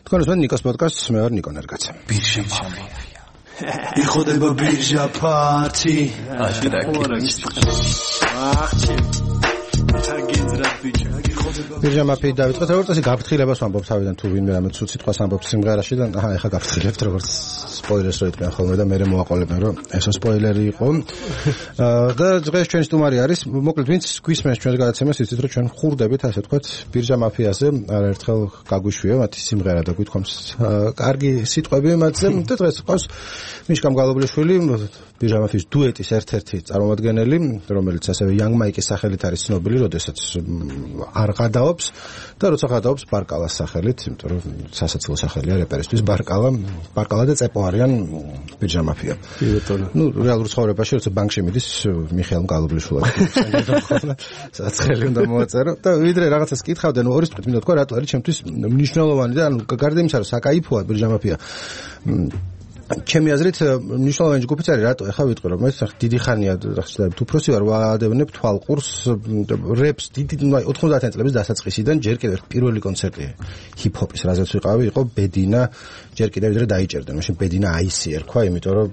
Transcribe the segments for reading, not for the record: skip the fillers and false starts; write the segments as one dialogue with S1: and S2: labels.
S1: თქვენს მე ნიკოს პოდკასტს მე ვარ ნიკო ნერგაცა.
S2: ბირჟა მაფია. იხოდება ბირჟა ფართი.
S1: ბირჟა მაფია დავიწყოთ, როგორც ასე გაფრთხილებას ვამბობ თავიდან თუ ვინმე რამე ცუდ სიტყვას ამბობს სიმღერაში და ეხა გაფრთხილებთ როგორც სპოილერს რო იტყვიან ხოლმე და მე მოვაყოლებენ რომ ესო სპოილერი იყო. და დღეს ჩვენი სტუმარი არის, მოკლედ ვინც გვისმენს ჩვენს გადაცემას, იცით რომ ჩვენ ხურდებით ასე ვთქვათ ბირჟა მაფიაზე, არაერთხელ გაგვიშვია მათი სიმღერა და გვითქვამს კარგი სიტყვები მათზე და დღეს ყავს მიშკამ გალობლიშვილი, ბირჟა მაფიის დუეტის ერთ-ერთი წარმომადგენელი, რომელიც ასევე Young Mike-ის სახელით არის ცნობილი, როდესაც არ გადაობს და როცა გადაობს ბარკალას სახელით, იმიტომ რომ სასაცილო სახელია რეპერისთვის ბარკალა და წეპო არიან ბირჟა მაფია. ნუ რეალურ ცხოვრებაში როცა ბანკში მიდის მიხეილ გალობლიშვილად სადაც ხელი უნდა მოაწერო და ვიდრე რაღაცას კითხავდა, ნუ ორი სიტყვით მინდა თქვა რატო არის ჩემთვის მნიშვნელოვანი და ანუ გარდა იმისა რომ საკაიფოა ბირჟა მაფია. ჩემი აზრით მნიშვნელოვანი ჯგუფიც არის, რატო ეხა ვიტყვი რომ ეს დიდი ხანია უფროსი ვარ, ვადევნებ თვალყურს რეპს დიდი 90-იან წლების დასაწყისიდან ჯერ კიდევ პირველი კონცერტი ჰიპ-ჰოპის რაზეც ვიყავი იყო ბედინა, ჯერ კიდევ ვიდრე დაიჭერდა, მაშინ ბედინა აისი ერქვა, იმიტომ რომ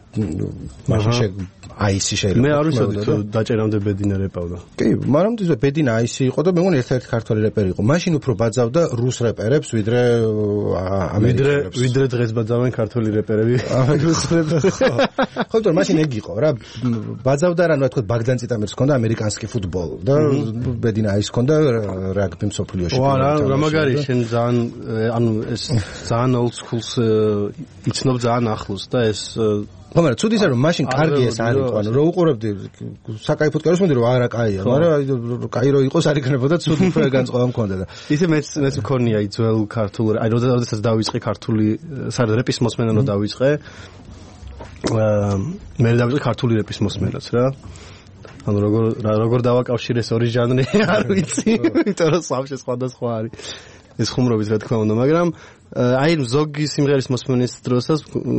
S1: მაშინ აისი შეიძლება.
S3: მე არ ვიცოდი თუ დაჭერამდე ბედინა რეპავდა.
S1: კი, მაგრამ ბედინა აისი იყო და მე მგონი ერთ-ერთი ქართველი რეპერი იყო. მაშინ უფრო ბაძავდა რუს რეპერებს ვიდრე ამერიკელებს.
S3: ვიდრე დღეს ბაძავენ ქართველი რეპერები.
S1: ხო, თორემ მაშინ ეგ იყო რა, ბაძავდა რა, თქვა ბაგდან ციტამერს ჰქონდა ამერიკანსკი ფუტბოლ და ბედინა აის ჰქონდა რაგბი მსოფლიოში.
S3: რა მაგარი, შენ ძალიან ანუ ეს ძალიან old schools იცნობ ძალიან ახლოს და ეს
S1: მაგრამ ცუდი ისე რომ მაშინ კარგი ეს არ იყო, ანუ რო უყურებდი საკაიფოდ კაროს მოდი რომ არა კაია, მაგრამ კაი რო იყოს არ იქნებოდა ცუდი უფრო განწყობა მქონდა და
S3: ისე მეც მქონია ძველ ქართულ, აი როდესაც დავიწყე ქართული საერთოდ რეპის მოსმენა რო დავიწყე, მე დავიწყე ქართული რეპის მოსმენაც რა. ანუ როგორ დავაკავშირე ეს ორი ჟანრი არ ვიცი, იმიტომ რომ სამში სხვადასხვა არის. ეს ხუმრობით რა თქმა უნდა, მაგრამ აი ზოგი სიმღერის მოსმენის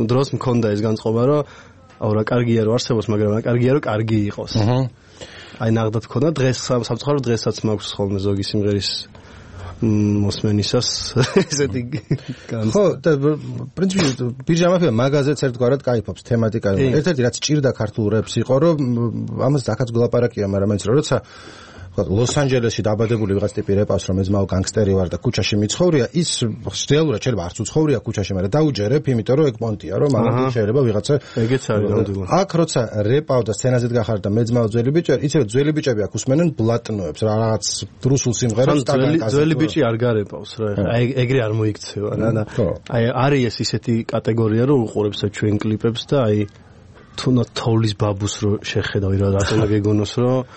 S3: დროს მქონდა ეს განწყობა, რომ აუ რა კარგია რომ არსებობს, მაგრამ რა კარგია რომ კარგი იყოს. აი ნახდათ მქონდა დღეს სამწუხაროდ დღესაც მაქვს ხოლმე ზოგი სიმღერის მოსმენისას ესეთი განწყობა. ხო, და პრინციპი ბირჟა მაფია მაგაზეც ერთგვარად кайფობს თემატიკა. ერთ-ერთი რაც ჭირდა ქართულ რეპს იყო, რომ ამას აქაც გლაპარაკია, მაგრამ მაინც როცა ლოს-ანჯელესში დაბადებული ვიღაც ტიპი რეპავს, რომ ეძმაო განგსტერი ვარ და ქუჩაში მიცხოვრია, ის რეალურად შეიძლება არც უცხოვრია ქუჩაში, მაგრამ დაუჯერებ, იმიტომ რომ ეგ პონტია, რომ ამიტომ შეიძლება ვიღაცა ეგეც არის ნამდვილად.
S1: აქ როცა რეპავ და სცენაზეთ გახარ და მეძმაო ძველი ბიჭი, იცი რომ ძველი ბიჭები აქ უსმენენ ბლატნოებს, რაღაც რუსულ სიმღერებს და
S3: ძველი ბიჭი არ გარეპავს რა. აი ეგრე არ მოიქცევა რა და აი არის ისეთი კატეგორია, რომ უყურებს ჩვენ კლიპებს და აი თუნდაც თოვლის ბაბუს რო შეხედავი რა რატომ გეგონოს რომ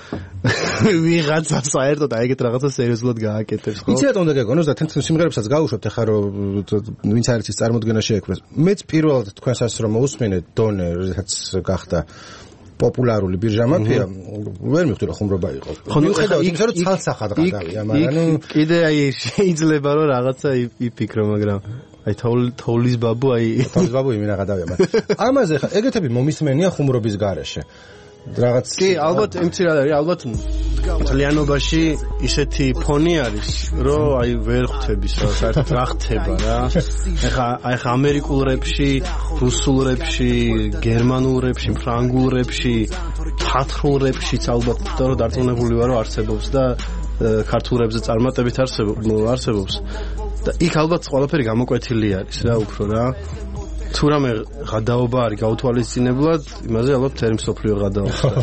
S3: ვიღაცა საერთოდ აი ეგეთ რაღაცა სერიოზულად გააკეთებს ხო?
S1: იცი რატომ უნდა გეგონოს და თენ სიმღერებსაც გაუშვებთ ახლა რომ ვინც არის ის წარმოდგენა შეექმნეს. მეც პირველად თქვენსაც რომ მოусმინე დონე რაც გახდა პოპულარული ბირჟა მაფია, ვერ მივხვდი რომ ხუმრობა იყო.
S3: ხო,
S1: მიუხედავად იმისა რომ ცალსახად გადავია, მაგრამ
S3: კიდე აი შეიძლება რომ რაღაცა იფიქრო, მაგრამ აი თოვლის ბაბუ
S1: იმენა გადავია, მაგრამ ამაზე ხა ეგეთები მომისმენია ხუმრობის გარეშე. რაღაც
S3: კი, ალბათ იმცირად არის, ალბათ ძალიანობაში ისეთი ფონი არის, რომ აი ვერ ხვდები საერთოდ რა ხდება რა. ეხა ამერიკულ რეპში, რუსულ რეპში, გერმანულ რეპში, ფრანგულ რეპში, თათრულ რეპშიც ალბათ რომ დარწმუნებული ვარ რომ არსებობს და ქართულ რეპზე წარმატებით არსებობს. და იქ ალბათ ყველაფერი გამოკვეთილი არის რა უფრო რა. თუ რამე გადაობა არის გაუთვალისწინებლად, იმაზე ალბათ თერი მსოფლიო გადაობს და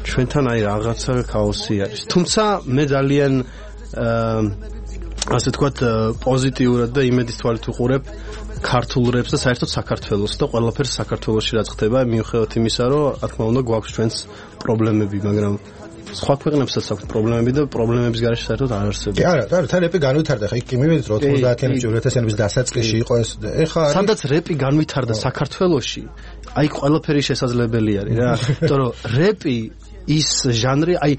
S3: ჩვენთან აი რაღაცა ქაოსი არის. თუმცა მე ძალიან ასე თქვათ პოზიტიურად და იმედის თვალით ვუყურებ ქართულ რეპს და საერთოდ საქართველოს და ყველაფერს საქართველოში რაც ხდება, მიუხედავად იმისა, რომ რა თქმა უნდა გვაქვს ჩვენს პრობლემები, მაგრამ სხვა ქვეყნებსაც აქვს პრობლემები და პრობლემების გარეშე საერთოდ არ არსებობს.
S1: კი, არა, თან რეპი განვითარდა, ხა იქ კი მივედით 90-იანი 2000-იანების დასაწყისში იყო ეს. ეხა
S3: სადაც რეპი განვითარდა საქართველოში, აი ყველაფერი შესაძლებელი არის რა. იმიტომ რომ რეპი ის ჟანრი, აი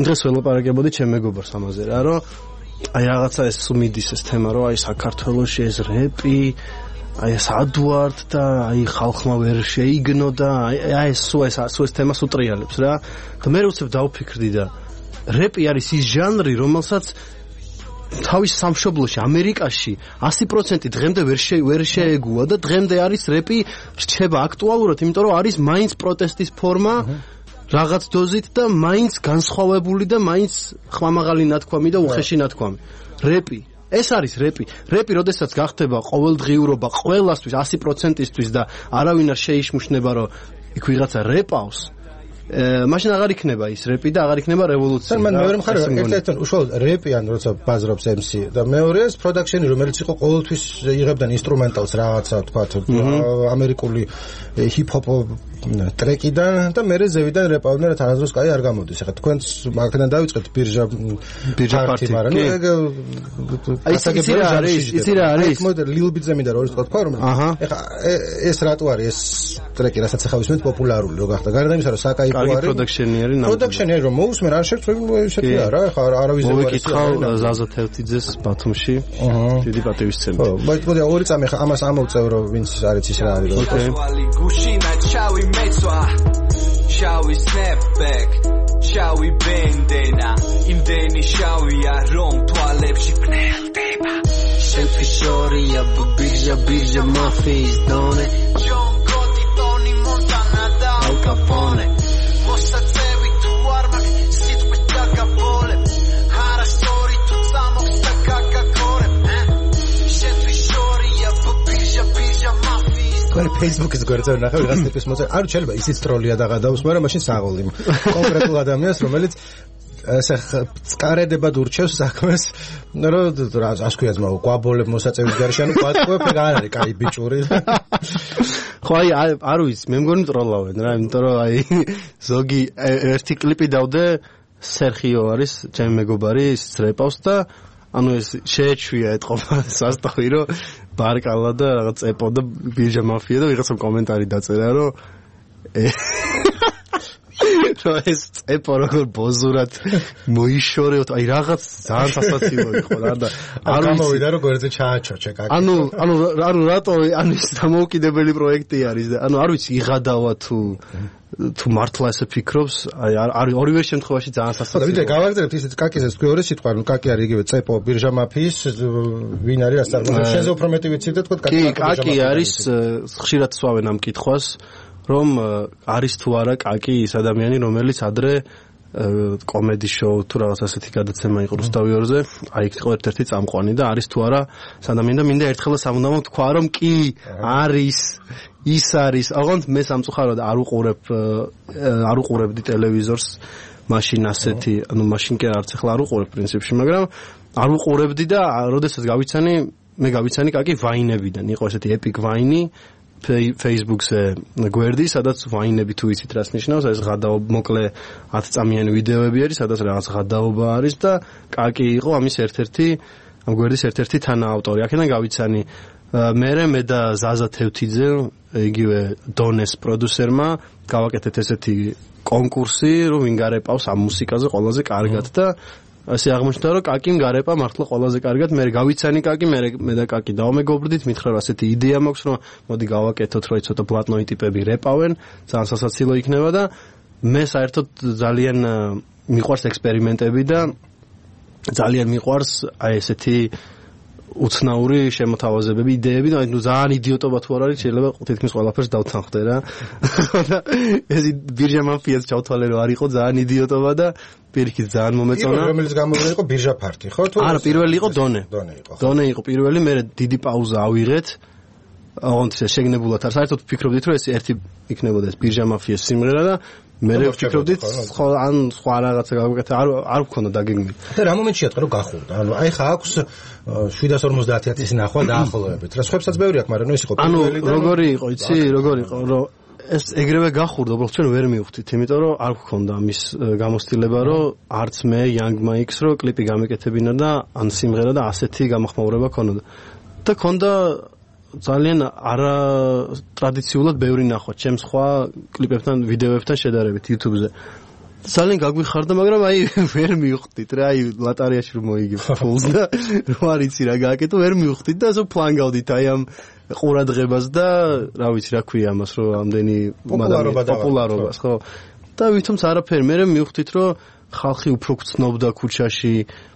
S3: დღეს ველაპარაკებოდი ჩემ მეგობარს ამაზე რა, რომ აი რაღაცა ეს მიდის ეს თემა, რომ აი საქართველოში ეს რეპი აი ეს ადვარდ და აი ხალხმა ვერ შეიგნო და აი ეს ეს თემას უტრიალებს რა. და მე უცებ დავფიქრდი და რეპი არის ის ჟანრი, რომელსაც თავის სამშობლოში ამერიკაში 100% დღემდე ვერ შეეგუა და დღემდე არის რეპი რჩება აქტუალურად, იმიტომ რომ არის მაინც პროტესტის ფორმა რაღაც დოზით და მაინც განსხვავებული და მაინც ხმამაღალი ნათქვამი და უხეში ნათქვამი. რეპი ეს არის რეპი. რეპი, როდესაც გახდება ყოველდღიურობა ყველასთვის 100%-ისთვის და არავინ არ შეიშმუშნება, რომ იქ ვიღაცა რეპავს, მაშინ აღარ იქნება ის რეპი და აღარ იქნება რევოლუცია.
S1: მან მეორე მხარე ერთ-ერთი უშუალოდ რეპი ან როცა ბაზრობს MC და მეორეა პროდაქშენი, რომელიც იყო ყოველთვის იღებდა ინსტრუმენტალს რაღაცა, თქვა ამერიკული ჰიპ-ჰოპ ტრეკიდან და მერე ზევიდან რეპავდნენ, რა თანაზროს კაი არ გამოდის. ეხლა თქვენც მაგიდან დავიწყეთ ბირჟა პარტი, მაგრამ
S3: იცი რა არის?
S1: მოდი ლილბიძე მინდა რომ თქვა რომ ეხლა ეს რატო არის ეს ტრეკი, რასაც ახლა ვისმენთ პოპულარული რო გახდა. გარდა იმისა, რომ საკაიფო პროდაქშენი არის რომ მოусმენ არ შეწყვეტ ესეთი არა ხა არავის
S3: მოვიკითხავ ზაზა თევთიძეს ბათუმში დიდი პატივისცემით.
S1: მოდი ორი წამი ხა ამას ამოვწევ რომ ვინც არის ის რა არის.
S2: გუშინა ჩავი მეცვა შავი snapback შავი ბენდენა იმდენი შავია რომ თვალებში გნელდება შენთვის შორია ბირჟა მაფიის დონე ჯონ კოტი ტონი მონტანა და ალ კაპონე მოსაწევი თუ არ მაქვს სიტყვით დაგაბოლებ არასწორი თუ წამოხს და გაგაქორებ შენთვის შორია ბირჟა მაფიის
S1: თქვენ Facebook-ის გვერდზე ნახე ვიღაც ტიპის მოწე არ შეიძლება ისიც ტროლია და გადაუს, მაგრამ მაშინ საღოლი კონკრეტულ ადამიანს, რომელიც ესე წკარედებად ურჩევს საქმეს, რომ ასე ქვია ძმა გვაბოლებ მოსაწევის გარშე, ანუ გვატყუებ ეგ არ არის კაი ბიჭური.
S3: ხო აი არ ვიცი, მე მგონი ტროლავენ რა, იმიტომ რომ აი ზოგი ერთი კლიპი დავდე, სერხიო არის ჩემი მეგობარი, ის რეპავს და ანუ ეს შეეჩვია ეთყობა სასტავი რომ ბარკალა და რაღაც ეპო და ბირჟა მაფია და ვიღაცამ კომენტარი დაწერა რომ ეს ეპო როგორ ბოზურად მოიშორეოთ აი რაღაც ძალიან სასაცილო იყო რა და
S1: არ გამოვიდა რომ გვერდზე ჩააჩოჩე კაკი.
S3: ანუ რატო ანუ ის დამოუკიდებელი პროექტი არის და ანუ არ ვიცი იღადავა თუ მართლა ესე ფიქრობს, აი ორივე შემთხვევაში ძალიან სასაცილოა.
S1: ვიდრე გავაგზავნებთ ისეთ კაკის ეს მეორე სიტყვა, ნუ კაკი არის იგივე წეპო ბირჟა მაფიის ვინ არის ასე არ შენზე უფრო მეტი ვიცი და თქვა
S3: კაკი არის ხშირად სვავენ ამ კითხვას, რომ არის თუ არა კაკი ის ადამიანი, რომელიც ადრე კომედი შოუ თუ რაღაც ასეთი გადაცემა იყო რუსთავიორზე, აი იქ იყო ერთ-ერთი წამყვანი და არის თუ არა ადამიანი და მინდა ერთხელ სამუდამო თქვა რომ კი არის ის არის. ოღონდ მე სამწუხაროდ არ უყურებდი ტელევიზორს მაშინ ასეთი, ანუ მაშინ კი არც ახლა არ უყურებ პრინციპში, მაგრამ არ უყურებდი და როდესაც მე გავიცანი კაკი ვაინებიდან, იყო ესეთი epic ვაინი Facebook-ზე გვერდი, სადაც ვაინები თუ იცით რას ნიშნავს, ეს მოკლე 10 წამიანი ვიდეოები არის, სადაც რაღაც ღადაობა არის და კაკი იყო ამის ამ გვერდის ერთ-ერთი თანაავტორი. აქედან გავიცანი მე და ზაზა თევთიძე, იგივე დონეს პროდიუსერმა გავაკეთეთ ესეთი კონკურსი, რომ ვინ გარეპავს ამ მუსიკაზე ყველაზე კარგად და ასე აღმოჩნდა, რომ კაკიმ გარეპა მართლა ყველაზე კარგად. მე გავიცანი კაკი, მე და კაკი დავმეგობრდით, მითხრა რომ ასეთი იდეა მაქვს, რომ მოდი გავაკეთოთ, რომ ცოტა პლატნოი ტიპები რეპავენ, ძალიან სასაცილო იქნება და მე საერთოდ ძალიან მიყვარს ექსპერიმენტები და ძალიან მიყვარს აი ესეთი უცნაური შემოთავაზებები, იდეები და ნუ ძალიან იდიოტობა თუ არ არის, შეიძლება თითქმის ყველაფერს დავთანხმდე რა. და ეს ბირჟა მაფიას ჩავთვალე რომ არ იყო ძალიან იდიოტობა და პირიქით ძალიან მომეწონა.
S1: რომელიც გამოვიდა იყო ბირჟა ფარტი, ხო?
S3: არა, პირველი იყო დონე. დონე იყო პირველი, მე დიდი პაუზა ავიღეთ. ოღონდ შეგნებულად არ საერთოდ ვფიქრობდით რომ ეს ერთი იქნებოდა ეს ბირჟა მაფიას სიმღერა და მე ვფიქრობდით ან სხვა რაღაცა გავაკეთე, არ ვქონდა დაგეგმილი.
S1: და რა მომენტშია თქო რომ გახურდა. ანუ აი ხა აქვს 750.000-ის ნახვა დაახლოებით. რა სხვებსაც ბევრი აქვს, მაგრამ ეს იყო
S3: პირველი და როგორი იყო, იცი, როგორი იყო, რომ ეს ეგრევე გახურდა, უბრალოდ ჩვენ ვერ მივხვდით, იმიტომ რომ არ ვქონდა ამის გამოცდილება, რომ არც მე Young Mike-ს რო კლიპი გამეკეთებინა და ან სიმღერა და ასეთი გამახმაურება ქონოდა. და ქონდა ძალიან არა ტრადიციულად ბევრი ნახვა ჩემ სხვა კლიპებთან, ვიდეოებთან შედარებით YouTube-ზე. ძალიან გაგვიხარდა, მაგრამ აი ვერ მივხვდით რა, აი ლატარიაში რომ მოიგებ ფულს და რო არ იცი რა გააკეთო, ვერ მივხვდით და ასე ფლანგავდით აი ამ ყურადღებას და რა ვიცი რა ქვია ამას, რომ ამდენი
S1: პოპულარობას
S3: ხო? და ვითომც არაფერი, მე მივხვდით რომ ხალხი უფრო გწნობდა ქუჩაში,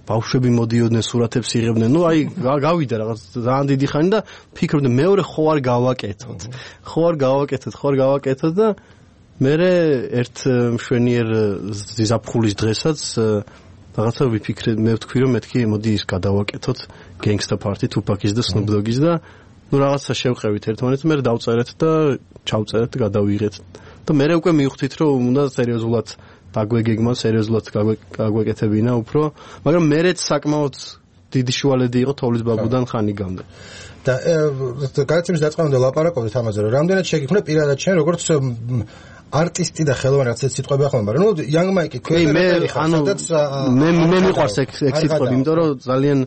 S3: ბავშვები მოდიოდნენ, სურათებს იღებდნენ. ნუ აი გავიდა რაღაც ძალიან დიდი ხანი და ფიქრობდი მეორე ხო არ გავაკეთოთ და მე ერთ მშვენიერ ზაფხულის დღესაც რაღაცა ვიფიქრე, მე ვთქვი რომ მეთქი მოდი ის გადავაკეთოთ Gangsta Party, Tupac-ის და Snoop Dogg-ის და ნუ რაღაცა შევყევით ერთმანეთს, მე დავწერეთ და ჩავწერეთ და გადავიღეთ. და მე უკვე მივხვდით რომ უნდა სერიოზულად დაგვეგეგმა, სერიოზულად გაგვეკეთებინა უფრო, მაგრამ მერეც საკმაოდ დიდი შუალედი იყო თოვლის ბაბუდან ხანი გამდა.
S1: და გადაცემის დაწყებამდე ლაპარაკობდით ამაზე, რომ რამდენად შეგიქმნა პირადად შენ როგორც არტისტი და ხელოვანი რაღაც სიტყვები ახლა, მაგრამ ნუ Young Mike-ი
S3: მე მიყვარს ეგ სიტყვები, იმიტომ რომ ძალიან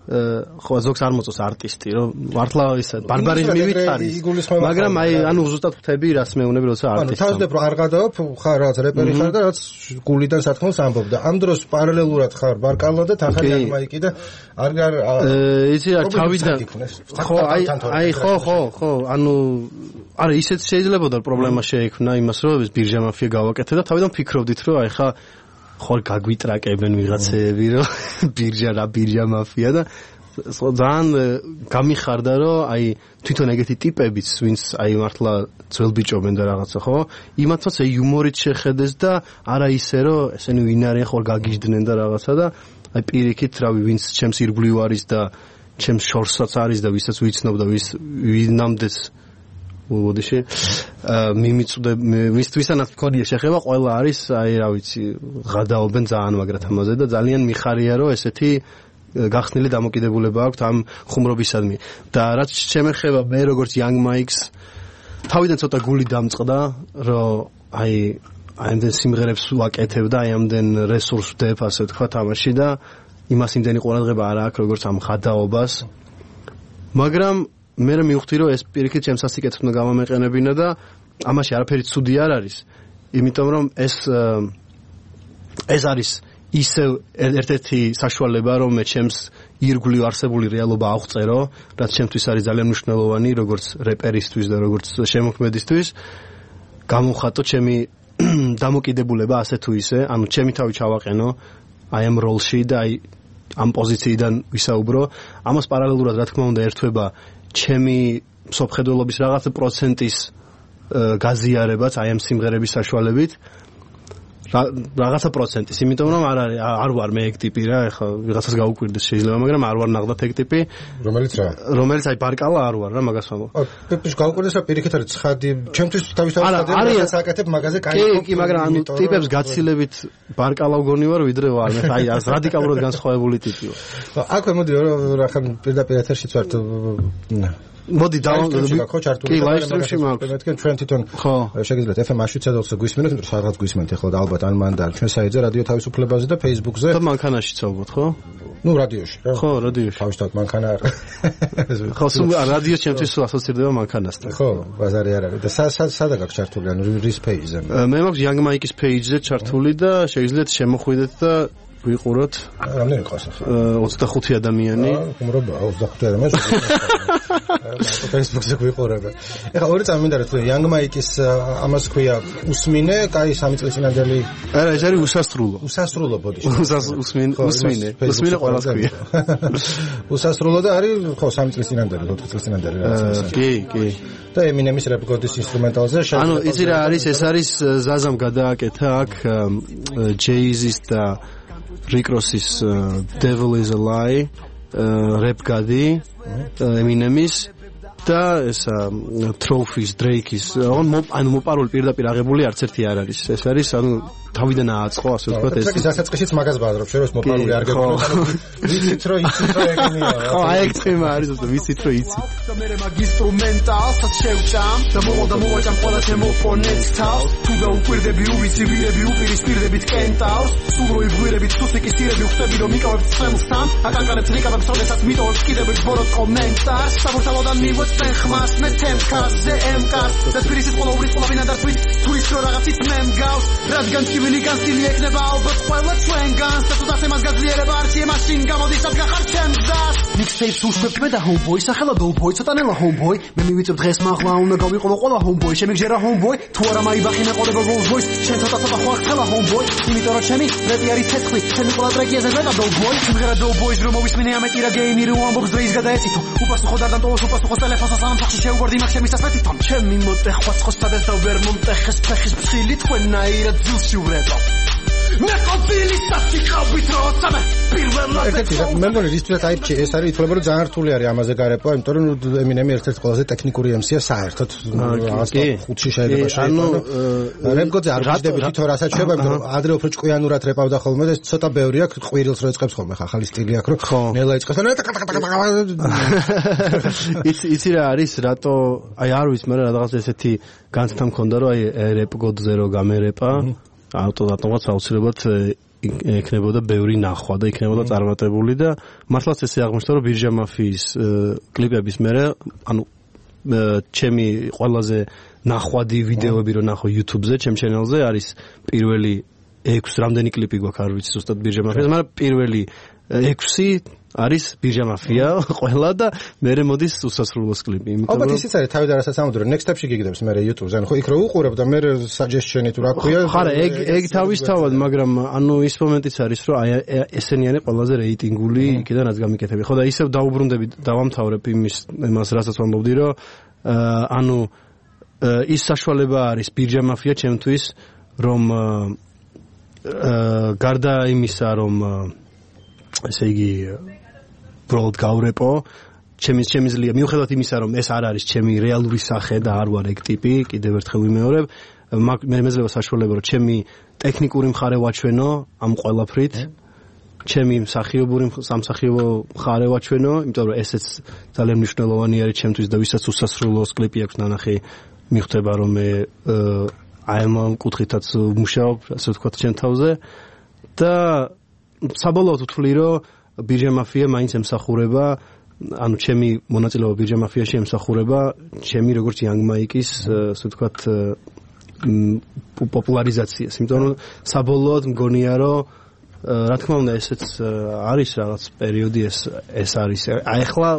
S3: ხო ზოგს არ მოწონს არტისტი, რომ მართლა ისა ბარბარიზმი ვითხარი. მაგრამ აი ანუ ზუსტად ხვდები რას მეუბნები, როცა არტისტი.
S1: ანუ თავისდებ რომ არ გადავებ, ხარ რაღაც რეპერი ხარ და რაც გულიდან სათქმელს ამბობ და ამ დროს პარალელურად ხარ ბარკალა და თანხა Young Mike-ი და არ
S3: იცი რა თავიდან ხო აი ხო ანუ არა ისეთ შეიძლებოდა პრობლემა შეექმნა იმას რომ ეს ბირჟა მაფია გავაკეთე და თავიდან ფიქრობდით რომ აი ხა ხარ გაგვიტრაკებენ ვიღაცეები რომ ბირჟა მაფია და ძალიან გამიხარდა რომ აი თვითონ ეგეთი ტიპებიც ვინც აი მართლა ძველ ბიჭობენ და რაღაცა ხო იმათაც აი იუმორით შეხედეს და არა ისე რომ ესენი ვინ არიან ხარ გაგიჟდნენ და რაღაცა და აი პირიქით რავი ვინც ჩემს ირგვლივ არის და ჩემს შორსაც არის და ვისაც ვიცნობ და ვინამდეც უდიში მიმიწვდე ვისთვისანაც მქონია შეხება ყველა არის აი რა ვიცი ღადაობენ ძალიან მაგრად ამაზე და ძალიან მიხარია რომ ესეთი გახსნილი დამოკიდებულება აქვს ამ ხუმრობისადმი და რაც შემეხება მე როგორც Young Mike-ს თავიდან ცოტა გული დამწყდა რომ აი ამდენ სიმღერებს ვაკეთებ და აი ამდენ რესურსს ვდებ ასე თქვა თამაში და იმას იმდენი ყურადღება არ აქვს როგორც ამ ღადაობას მაგრამ მე მივხვდი რომ ეს პირიქით ჩემს სასიკეთეს უნდა გამომეყენებინა და ამაში არაფერი ცუდი არ არის იმიტომ რომ ეს არის ისევ ერთ-ერთი საშუალება რომ მე ჩემს ირგვლივ არსებული რეალობა აღწერო რაც ჩემთვის არის ძალიან მნიშვნელოვანი როგორც რეპერისთვის და როგორც შემოქმედისთვის გამოვხატო ჩემი დამოკიდებულება ასე თუ ისე ანუ ჩემი თავი ჩავაყენო აი ამ როლში და აი ამ პოზიციიდან ვისაუბრო ამას პარალელურად რა თქმა უნდა ერთვება ჩემი სოფხედველობის რაღაც პროცენტის გაზიარებაც აი ამ სიმღერების საშუალებით რაღაცა პროცენტის იმიტომ რომ არ ვარ მე ეგ ტიპი რა ეხლა ვიღაცას გაუკვირდეს შეიძლება მაგრამ არ ვარ ნახდა ეგ ტიპი რომელიც აი ბარკალა არ ვარ რა მაგას ვამბობ
S1: პეპიშ გაუკვირდეს რა პირიქით არის ცხადი ჩემთვის თავისთავად საკეთებ მაგაზე
S3: კი მაგრამ ანუ ტიპებს გაცილებით ბარკალა ვგონი ვარ ვიდრე ვარ მე აი ას რადიკალურად განსხვავებული ტიპი ვარ
S1: აქვე მოდი რა ხან პირდაპირ ეთერშიც ვართ
S3: მოდი
S1: ხო ჩართული
S3: ლაივსტრიმში მაქვს
S1: მეთქენ ჩვენ თვითონ შეგიძლიათ FM აშუცადოხზე გვისმენთ იმიტომ რომ სადღაც გვისმენთ ახლა და ალბათ ან მან და ჩვენ საიტზე რადიო თავისუფლებაზე და Facebook-ზე
S3: და მანქანაშიც ალბათ ხო
S1: ნუ რადიოში რა
S3: ხო რადიოში
S1: თავისთავად მანქანა არ
S3: ხო სულ რადიო ჩემთვის ასოცირდება მანქანასთან
S1: ხო ბაზარი არ არის და სადა გაქვს ჩართული ანუ რის page-ზე
S3: მე მაქვს Young Mike-ის page-ზე ჩართული და შეგიძლიათ შემოხვიდეთ და ვიყუროთ
S1: რამდენი ყავს ახლა
S3: 25 ადამიანი
S1: უმრობა 25 ადამიანი Facebook-ზე ვიყურებ ეხლა ორი წამინდა რომ Young Mike-ის ამას ქვია უსმინე კაი 3 წლის წინანდელი
S3: არა ეს არის უსასრულო ბოდიში უსმინე ყველას ქვია
S1: უსასრულო და არის ხო 3 წლის წინანდელი 4 წლის წინანდელი რაღაცა
S3: კი
S1: და Eminem-ის რეკორდის ინსტრუმენტალზე
S3: ანუ იცი რა არის ეს არის ზაზამ გადააკეთა აქ Jay-Z-ის და Rick Ross-ის Devil is a Lie rap გადი Eminem-ის და ეს Trophies Drake-ის ანუ მოპარული პირდაპირ აღებული არც ერთი არ არის ეს არის ანუ თავიდან ააწყო ასე ვთქვათ ეს
S1: დასაწყისიც მაგას ბაზრობ შენ რომ მოპარული არ გეგმო ვიცით რომ ეგენია
S3: ხო აი ეგ თემა არის უბრალოდ ვიცით რომ იცით
S2: და მე მაგ ინსტრუმენტალსაც შევჭამ და მოვაჭამ ყველა თემოფონეთს თავს თუ დაუკვირდები უვიცი ვირები უპირისპირდებით კენტავს სულ რო იგვირებით სუსიკის სირები ხვდები რომ მიკავებ ცემსთან აკანკანებს რიკავებს როდესაც მიტოვებს კიდევ ბოროტ კომენტარს საბურთალოდან მივოც ვისმენ ხმას მე თემკას ზემკას და თბილისის ყველა ურის ყველა ვინადართვის თუ ის რო რაღაცით მე მგავს რადგან კივილიგან სტილი ეკნება ალბათ ყველა ჩვენგანს და თუ დასემას გაძლიერება არჩიე მაშინ გამოდის ადგა ხარ ჩემს გზას მიქსტეიპს უშვებ მე და ჰომბოი სახელად ოლბოი ცოტანელა ჰომბოი მე მივიწევ დღეს მაღლა უნდა გავიყოლო ყველა ჰომბოი შემიგჟერა ჰომბოი თუ არა მაიბახი მეყოდება როლზროის შენ ცოტა ხო ახლა ჰომბოი იმიტომ რომ ჩემი რეპი არის ცეცხლი ჩემი ყველა ტრეკი ეს მეტა დოლბოი სიმღერა დოლბოის რომ მოვისმინე ამეტირა გეიმი რომ ამბობს დროის გადაეცითო უპასუხო დარდან ტოლოს უპასუხო ტელეფონს სამსახში შეუგვარდი მაგ ჩემი სასმეთითონ ჩემი მოტეხვა ცხოსტადეს და ვერ მომტეხეს ფეხის ფხილი თქვენაირად ძილში ვრება მე ყოფილი საფიქავით როცა მე პირველად
S1: მე მგონი რისთვისაც აირჩი ეს არის ითვლება რომ ძალიან რთული არის ამაზე გარება იმიტომ რომ ემინემი ერთ-ერთი ყველაზე ტექნიკური MC-ია საერთოდ 5-ში შეიძლება შეიყვანო რემგოძე არ ვიждები თვითონ რასაც შეება იმიტომ რომ ადრე უფრო ჭკვიანურად რეპავდა ხოლმე და ცოტა ბევრი აქვს ყვირილს რო ეწყებს ხოლმე ახალი სტილი აქვს რომ ნელა იწყებს
S3: იცი რა არის რატო აი არ ვიცი მე რაღაც ესეთი განცდა მქონდა რომ აი რეპგოდზე რო გამერეპა ავტომატურად აუცილებლად ექნებოდა ბევრი ნახვა და იქნებოდა წარმატებული და მართლაც ესე აღმოჩნდა რომ ბირჟა მაფიის კლიპების მერე ანუ ჩემი ყველაზე ნახვადი ვიდეოები რო ნახო YouTube-ზე ჩემ channel-ზე არის პირველი 6 რამდენი კლიპი გვაქვს არ ვიცი ზუსტად ბირჟა მაფიას მაგრამ პირველი 6 არის ბირჟა მაფია ყველა და მერე მოდის უსასრულოს კლიპი იმიტომ რომ
S1: ალბათ ისიც არის თავი და რასაც ამოდრო next step-ში გიგდებს მე YouTube-ზე ანუ ხო იქ რო უყურებ და მე suggestion-ი თუ რა ქვია
S3: ხარა ეგ თავისთავად მაგრამ ანუ ის მომენტიც არის რომ აი ესენი არის ყველაზე რეიტინგული იქიდან რაც გამიკეთები ხო და ისევ დაუბრუნდები დავამთავრებ იმას რასაც ვამბობდი რომ ანუ ის საშუალება არის ბირჟა მაფია ჩემთვის რომ გარდა იმისა რომ ესე იგი ბროდ გავრეპო ჩემი ძლია მიუხედავად იმისა რომ ეს არ არის ჩემი რეალური სახე და არ ვარ ეგ ტიპი კიდევ ერთხელ ვიმეორებ მე მეძლევა საშუალება რომ ჩემი ტექნიკური მხარე ვაჩვენო ამ ყველაფრით ჩემი მსახიობური სამსახიობო მხარე ვაჩვენო იმიტომ რომ ესეც ძალიან მნიშვნელოვანი არის ჩემთვის და ვისაც უსასრულოს კლიპი აქვს ნანახი მიხვდება რომ მე აი ამ კუთხითაც ვმუშაობ ასე ვთქვათ ჩემ თავზე და საბოლოოდ ვთვლი რომ ბირჟა მაფია მაინც ემსახურება ანუ ჩემი მონაწილეობა ბირჟა მაფიაში ემსახურება ჩემი როგორც Young Mike-ის ასე ვთქვათ პოპულარიზაციას იმიტომ რომ საბოლოოდ მგონია რომ რა თქმა უნდა ესეც არის რაღაც პერიოდი ეს არის აი ახლა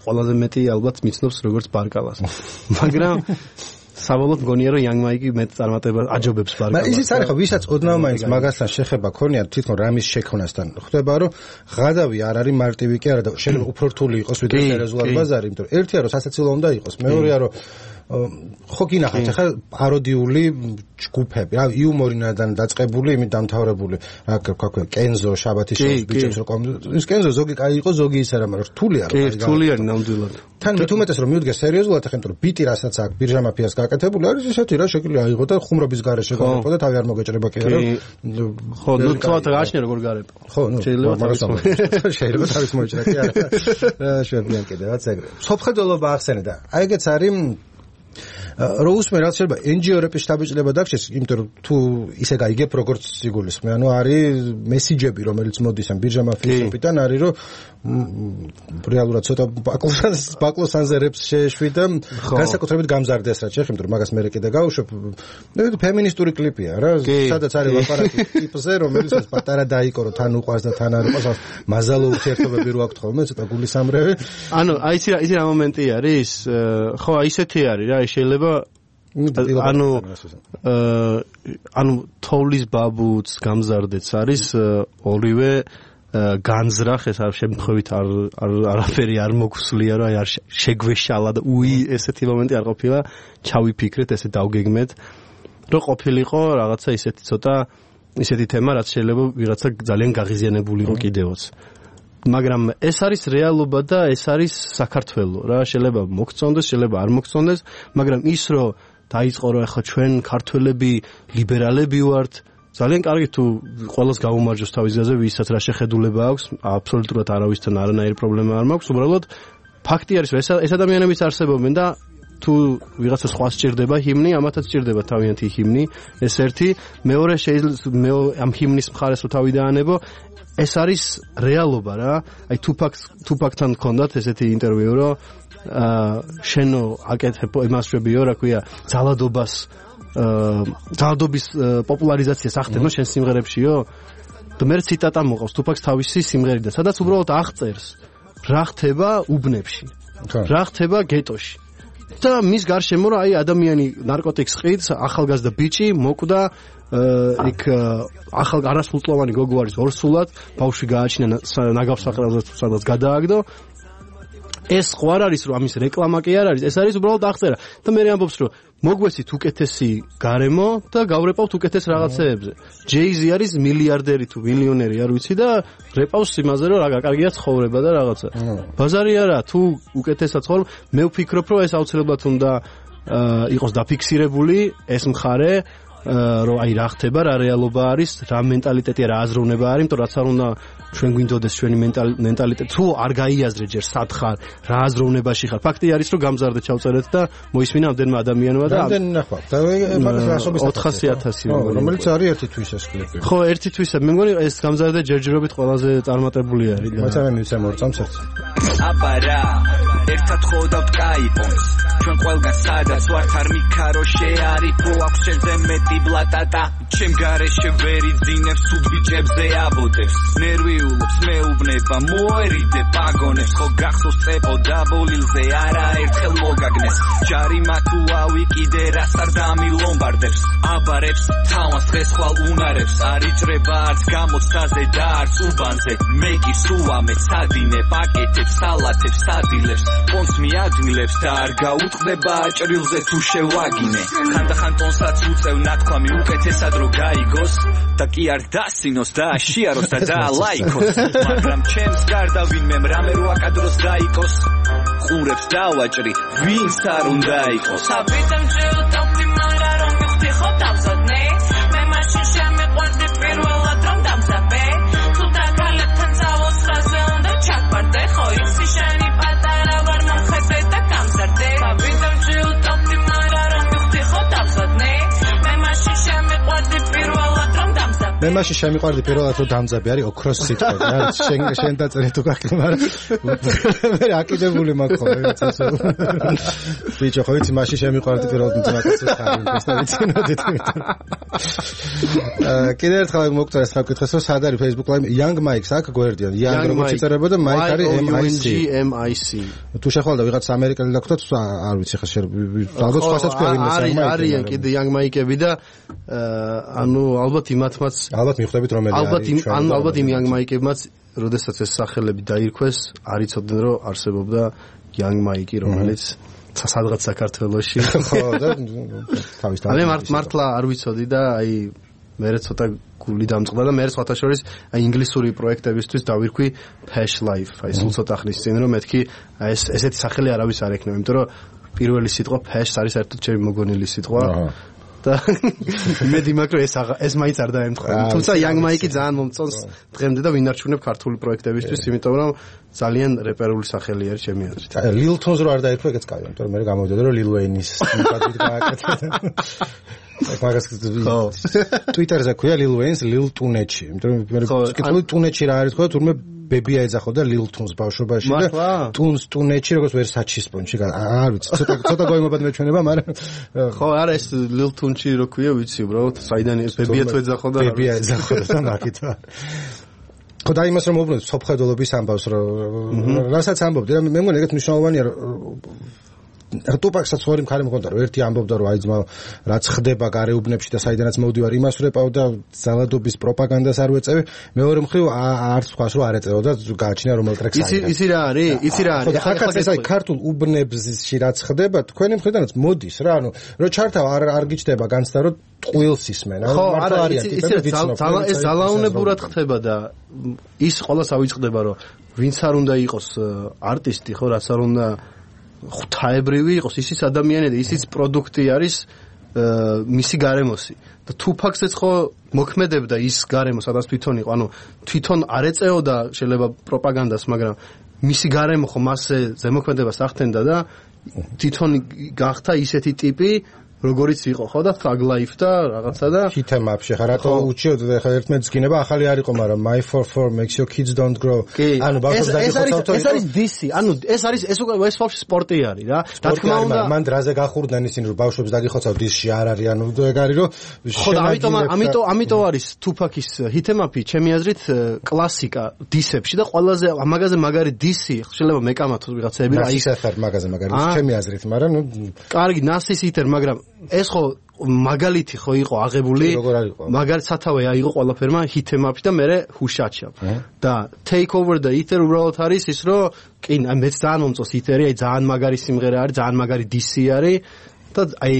S3: ყველაზე მეტი ალბათ მიცნობს როგორც ბარკალას მაგრამ საბოლოოდ მგონია რომ Young Mike მეტ წარმატებას აჯობებს ბარკალას.
S1: მაგრამ ისიც არის ხო ვისაც ოდნავ მაინც მაგასთან შეხება ქონია თვითონ რამის შექმნასთან. ხვდება რომ ღადავი არ არის მარტივი კი არა და შეიძლება უფრო რთული იყოს ვიდრე სერიოზულად ბაზარი, იმიტომ რომ ერთია რომ სასაცილო უნდა იყოს, მეორეა რომ ხო გინახავთ ახლა პაროდიული ჯგუფები, რა იუმორინადან დაწყებული, იმით დამთავრებული, რა ქვია, კენზო, შაბათის შოუს ბიჭებს რომ ის კენზო ზოგი კაი იყო, ზოგი ისე რა, მაგრამ რთული არის.
S3: კი, რთული არის ნამდვილად.
S1: თან მით უმეტეს რომ მიუდგეს სერიოზულად ახლა, იმიტომ რომ ბიტი რასაც აქვს ბირჟა მაფიას გაკეთებული არის ისეთი რა შეგვიძლია აიღო და ხუმრობის გარეშე გავიყო და თავი არ მოგეჭრება კი არა.
S3: ხო, ნუ თქვათ გააჩნია როგორ გარება.
S1: ხო, ნუ შეიძლება თავის მოიჭრა კი არა. რა შეგვიძლია კიდევაც ეგრე. სოფხედელობა ახსენე და აი ეგეც არის რო უსმენ რაც შეიძლება NGO რეპის შტაბიჭლება დაგჭირს, იმიტომ რომ თუ ისე გაიგებ როგორც სიგულისხმე, ანუ არის მესიჯები რომელიც მოდის ამ ბირჟა მაფიისებიდან არის რომ რეალურად ცოტა ბაკლოსანზე რეპს შეეშვი და განსაკუთრებით გამზარდეს რაც შეიძლება, იმიტომ რომ მაგას მე კიდე გავუშვებ. ფემინისტური კლიპია რა, სადაც არის ლაპარაკი ტიპზე, რომელიც პატარა დაიკო რომ თან უყვას და თან არ უყვას, მაზალო ურთიერთობები რო აქვს ხოლმე, ცოტა გულისამრევი.
S3: ანუ აი იცი რა მომენტი არის? ხო, აი ისეთი არის რა, შეიძლება ანუ თოვლის ბაბუც გამზარდეც არის ორივე განზრახ ეს არ შემთხვევით არაფერი არ მოგვსვლია რა არ შეგვეშალა და ესეთი მომენტი არ ყოფილა ჩავიფიქრეთ ესე დავგეგმეთ რომ ყოფილიყო რაღაცა ისეთი ცოტა ისეთი თემა რაც შეიძლება ვიღაცა ძალიან გაღიზიანებულიყო კიდევაც მაგრამ ეს არის რეალობა და ეს არის საქართველო რა შეიძლება მოგწონდეს შეიძლება არ მოგწონდეს მაგრამ ის რომ დაიწყო რომ ახლა ჩვენ ქართველები ლიბერალები ვართ ძალიან კარგი თუ ყველას გაუმარჯოს თავის გზაზე ვისაც რა შეხედულება აქვს აბსოლუტურად არავისთან არანაირი პრობლემა არ მაქვს უბრალოდ ფაქტი არის რომ ეს ადამიანებიც არსებობენ და თუ ვიღაცა სხვა სჭირდება ჰიმნი ამათაც სჭირდება თავიანთი ჰიმნი ეს ერთი მეორე შეიძლება ამ ჰიმნის მხარეს რო თავი დაანებო ეს არის რეალობა რა. აი თუფაკთან გქონდათ ესეთი ინტერვიუ, რომ შენო აკეთებ იმასშებიო, რა ქვია, ძალადობის პოპულარიზაციას ახდენო შენ სიმღერებშიო. და მე ციტატა მოყავს თუფაკს თავისი სიმღერიდან, სადაც უბრალოდ აღწერს რა ხდება უბნებში, რა ხდება გეტოში. და მის გარშემო რა აი ადამიანი ნარკოტიკს ყიდს, ახალგაზრდა ბიჭი მოკვდა იქ ახალ არასრულწლოვანი გოგო არის ორსულად, ბავშვი გააჩინა ნაგავს საყრელზე სადაც გადააგდო. ეს ხო არ არის რომ ამის რეკლამა კი არ არის, ეს არის უბრალოდ აღწერა. და მე ამბობს რომ მოგვესით უკეთესი გარემო და გავრეპავთ უკეთეს რაღაცეებზე. ჯეიზი არის მილიარდერი თუ მილიონერი არ ვიცი და რეპავს იმაზე რომ რა კარგია ცხოვრება და რაღაცა. ბაზარი არა, თუ უკეთესად ცხოვრობ, მე ვფიქრობ რომ ეს აუცილებლად უნდა იყოს დაფიქსირებული ეს მხარე, რომ აი რა ხდება, რა რეალობა არის, რა მენტალიტეტია, რა აზროვნება არის, იმიტომ რაც არ უნდა ჩვენ გვინდოდეს ჩვენი მენტალიტეტი, თუ არ გაიაზრე ჯერ სად ხარ, რა აზროვნებაში ხარ. ფაქტი არის რომ გამზარდეთ ჩავწერეთ და მოისმინა ამდენმა ადამიანმა და
S1: ამდენ ნახვა. და მაგას რასობის
S3: 400,000
S1: რომელიც არის ერთი თვის ეს კლიპი.
S3: ხო, ერთი თვისა. მე მგონი ეს გამზარდე ჯერჯერობით ყველაზე წარმატებული არის და
S1: მაცა მე მივცემ ორ წამს ერთ.
S4: აბარა ერთად ხოვდავთ კაიპონს ჩვენ ყველგან სადაც ვართ არ მიქარო შეარიფო აქვს შენზე მეტი ბლატატა ჩემ გარეშე ვერ იძინებს თუ ბიჭებზე აბოდებს ნერვიულობს მეუბნება მოერიდე პაგონებს ხო გახსოვს წეპო დაბოლილზე არაერთხელ მოგაგნეს ჯარიმა თუ ავიკიდე რას არ დამილომბარდებს აბარებს თავას დღეს ხვალ უნარებს არ იჭრება არც გამოცდაზე და არც უბანზე მე კი სუამე სადინე პაკეტებს სალათებს სადილებს პონს მიადვილებს და არ გაუტყდება აჭრილზე თუ შევაგინე ხანდახან პონსაც უწევ ნათქვამი უკეთესად რო გაიგოს და კი არ დასინოს და აშიაროს და დაალაიქოს მაგრამ ჩემს გარდა ვინმე რამე რო აკადროს დაიკოს ყურებს დავაჭრი ვინც არ უნდა იყოს
S5: საბიძამ ჯეუტავდი მარა რომ მიხდი ხო დავზადნე მე მაშინ შემეყვარდი პირველად რომ დამზაბე თუ დაგალეთთან წავოს ხაზე უნდა ჩაკვარდე ხო იცი შენი პატარა ვარ მომხედე და გამზარდე საბიძამ ჯეუტავდი მარა რომ მიხდი ხო დავზადნე მე მაშინ შემეყვარდი პირველად რომ დამზაბე
S1: მე მაშინ შემიყვარდი პირველად რომ დამზაბე არის ოქროს სიტყვა რა შენ დაწერე თუ გაკლ მაგრამ მე აკიდებული მაქვს ხო ეს ბიჭო ხო იცი მაშინ შემიყვარდი პირველად ძმაკაცს ხარ და ვიცინოდით კიდე ერთხელ მოგწერ ეს საკითხს რომ სად არის Facebook Live Young Mike-ს აქ გვერდიან Young როგორც იწერებოდა Mike არის MIC თუ შეხვალდა ვიღაც ამერიკელი და გქონდათ არ ვიცი ხა ალბათ სხვასაც ქვია იმას
S3: არიან კიდე Young Mike-ები და ანუ ალბათ იმათმაც
S1: ალბათ მიხვდებით რომელი არის
S3: ალბათ იმ Young Mike-ებმაც როდესაც ეს სახელები დაირქვეს არ იცოდნენ რომ არსებობდა Young Mike რომელიც სადღაც საქართველოში
S1: ხო და თავის
S3: მე მართლა არ ვიცოდი და აი მე ცოტა გული დამწყდა და მე სხვათა შორის აი ინგლისური პროექტებისთვის დავირქვი Pash Life აი სულ ცოტა ხნის წინ რომ მეთქი აი ესეთი სახელი არავის არ ექნება იმიტომ რომ პირველი სიტყვა Pash არის საერთოდ ჩემი მოგონილი სიტყვა და მე დიმაკრო ეს მაინც არ დაემთხვა თუმცა Young Mike ძალიან მომწონს დღემდე და ვინარჩუნებ ქართული პროექტებისთვის იმიტომ რომ ძალიან რეპერული სახელი არის ჩემი აზრით
S1: Lil Tons რო არ დაირქვა ეგეც კაია იმიტომ რომ მე გამოვიდოდა რომ Lil Wayne-ის ნიკადით გააკეთა მაგას Twitter-ზე ქვია Lil Wayne-ს Lil Tuneci იმიტომ რომ მე ვკითხული Tuneci რა არის თქო თურმე ბებია ეძახოდა Lil Tons ბავშვობაში და Tuneci როგორც ვერსაჩის პონჩი არ ვიცი ცოტა გოიმობად მეჩვენება მაგრამ
S3: ხო არა ეს Lil Tuneci რო ქვია ვიცი უბრალოდ საიდან ეს ბებია თუ ეძახოდა
S1: ბებია ეძახოდა და მაგით ხო და იმას რომ მოვუბრუნდეთ სოფხედულობის ამბავს რომ რასაც ამბობდი რა მე მგონი ეგეთ მნიშვნელოვანია ტუპაკსაც ხორი მხარე მქონდა რომ ერთი ამბობდა რომ აი ძმა რაც ხდება გარეუბნებში და საიდანაც მოვდივარ იმას ვეპავ და ძალადობის პროპაგანდას არ ვეწევი მეორე მხრივ არც სხვას რო არ ეწევა და გააჩინა რომელ ტრეკს
S3: არის იცი რა არის
S1: ხახაც ეს აი ქართულ უბნებში რაც ხდება თქვენი მხრიდანაც მოდის რა ანუ რო ჩართავ არ გიჩდება განცდა რომ ტყუილს ისმენ
S3: ხო არა ეს ძალაუნებურად ხდება და ის ყველას ავიწყდება რომ ვინც არ უნდა იყოს არტისტი ხო რაც არ უნდა ღვთაებრივი იყოს ისიც ადამიანი და ისიც პროდუქტი არის მისი გარემოსი და თუფაქსეც ხო მოქმედებდა ის გარემო სადაც თვითონ იყო ანუ თვითონ არ ეწეოდა შეიძლება პროპაგანდას მაგრამ მისი გარემო ხო მასზე ზემოქმედებას ახდენდა და თვითონ გახდა ისეთი ტიპი როგორიც იყო ხო და Thug Life და რაღაცა და
S1: ჰითემაპში ხა რატო უჩიოდ ხა ერთმანეთს გინება ახალი არ იყო მაგრამ My 44 makes your kids don't grow ანუ ბავშვებს დაგიხოცავთ
S3: ეს არის DC ანუ ეს უკვე ეს ბავშვი სპორტი არის რა თქმა უნდა
S1: მან დრაზე გახურდნენ ისინი რომ ბავშვებს დაგიხოცავ დისში არ არის ანუ ეგ არის რომ
S3: ხო და ამიტომ არის Tupac-ის ჰითემაპი ჩემი აზრით კლასიკა დისებში და ყველაზე ამაგაზე მაგარი DC შეიძლება მეკამათოს ვიღაცები
S1: რა ის ახარ მაგაზე მაგარი ჩემი აზრით მაგრამ ნუ
S3: კარგი ნასის ჰიტერ მაგრამ ეს ხო მაგალითი ხო იყო აღებული მაგალითად სათავე აიღო ყველაფერმა ჰითემაპში და მე ჰუშაჩა და take over და იტერ უბრალოდ არის ის რომ კი მეც ძალიან მომწონს იტერი აი ძალიან მაგარი სიმღერა არის ძალიან მაგარი DC არის და აი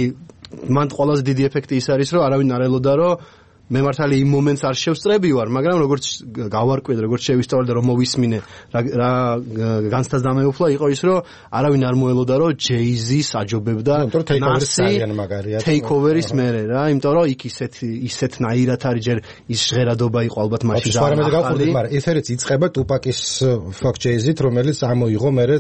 S3: მან ყველაზე დიდი ეფექტი ის არის რომ არავინ არ ელოდა რომ მე მართალი იმ მომენტს არ შევსწრები ვარ, მაგრამ როგორც გავარკვიე, როგორც შევისწავლე და რომ მოვისმინე რა განსტაზამეუფლა იყო ის, რომ არავინ არ მოელოდა, რომ Jay-Z საჯობებდა Take-over-ის მერე რა, იმიტომ რომ იქ ისეთნაირად არის ჯერ ის ჟღერადობა იყო ალბათ მაშინ
S1: და არა მე გავხურდით, მაგრამ ეთერიც იწყება Tupac-ის Fuck Jay-Z-ით, რომელიც ამოიღო მერე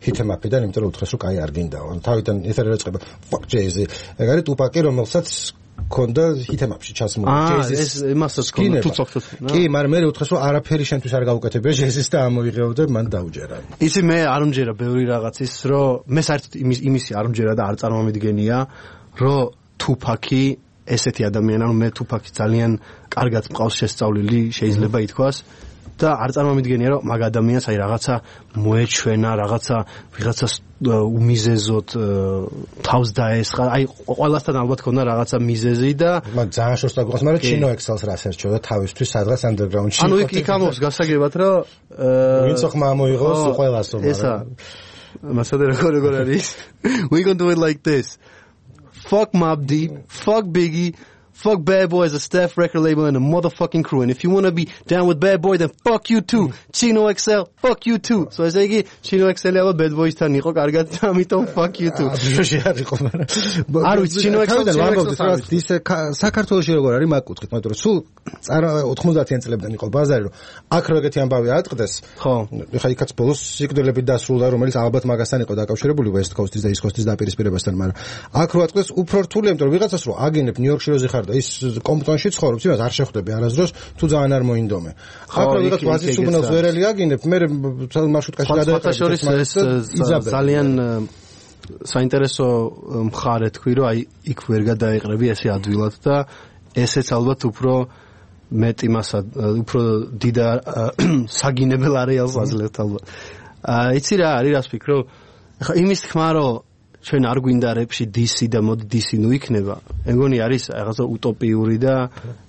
S1: ჰითემაპიდან, იმიტომ რომ უთხრეს რომ კაი არ გინდაო. თავიდან ეთერი იწყება Fuck Jay-Z. ეგ არის Tupac-ი, რომელსაც კონდა ჰითემაპში ჩასმული
S3: ეს იმასაც კონდა თუცოქთუც
S1: კი მაგრამ მე უთხრეს რომ არაფერი შენთვის არ გავუკეთებია Jay-Z-ს და ამოიღეო და მან დაუჯერა
S3: იცი მე არ უმჯერა ბევრი რაღაცის რომ მე საერთოდ იმისი არ უმჯერა და არ წარმომიდგენია რომ Tupac-ი ესეთი ადამიანი ანუ მე Tupac-ი ძალიან კარგად მყავს შესწავლილი შეიძლება ითქვას და არ წარმომიდგენია რომ მაგ ადამიანს აი რაღაცა მოეჩვენა რაღაცა ვიღაცას უმიზეზოდ თავს დაესხა აი ყველასთან ალბათ ქონდა რაღაცა მიზეზი და
S1: მაგ ძალიან შორს დაგვიყავს მაგრამ Chino Excel-ს რას ერჩეოდა თავისთვის სადღაც underground-ში
S3: ანუ იქ ამობს გასაგებად რომ
S1: ვინც ხმა ამოიღოს ყველას რომ
S3: ესა მასადა როგორ არის we gonna do it like this fuck Mobb Deep fuck Biggie fuck Bad Boy as a staff record label and a motherfucking crew. And if you want to be down with Bad Boy, then fuck you too. Chino XL, fuck you too. So I say, Chino XL ალბათ Bad Boys-თან იყო კარგად და ამიტომ fuck you too.
S1: ბიოში არ იყო, მაგრამ
S3: არ ვიცი, Chino XL
S1: ის საქართველოში როგორ არის მაგ კუთხით, მაგრამ სულ 90-იან წლებიდან იყო ბაზარი, რომ აქ როგორი ამბავი ატყდეს.
S3: ხო.
S1: ეხა იქაც ბოლოს სიკვდილებით დასრულდა, რომელიც ალბათ მაგასთან იყო დაკავშირებული West Coast-ის და East Coast-ის დაპირისპირებასთან, მაგრამ აქ რო ატყდეს უფრო რთულია, იმიტომ რომ ვიღაცას რო აგინებ ნიუ-იორკში რო ზიხარ და ის კომპტონში ცხოვრობს, იმას არ შეხვდები არასდროს, თუ ძალიან არ მოინდომე. აქ რო ვიღაც ვაზის უგნოს ვერელი აგინებ, მე მარშრუტკაში გადაეყრები
S3: ძალიან საინტერესო მხარე თქვი, რომ აი იქ ვერ გადაეყრები ესე ადვილად და ესეც ალბათ უფრო მეტი მასა, უფრო დიდ საგინებელ არეალს აძლევთ ალბათ. იცი რა არის რას ფიქრობ? ხა იმის თქმა რომ ჩვენ არ გვინდა რეპში DC და მოდი DC ნუ იქნება. მეგონი არის რაღაცა უტოპიური და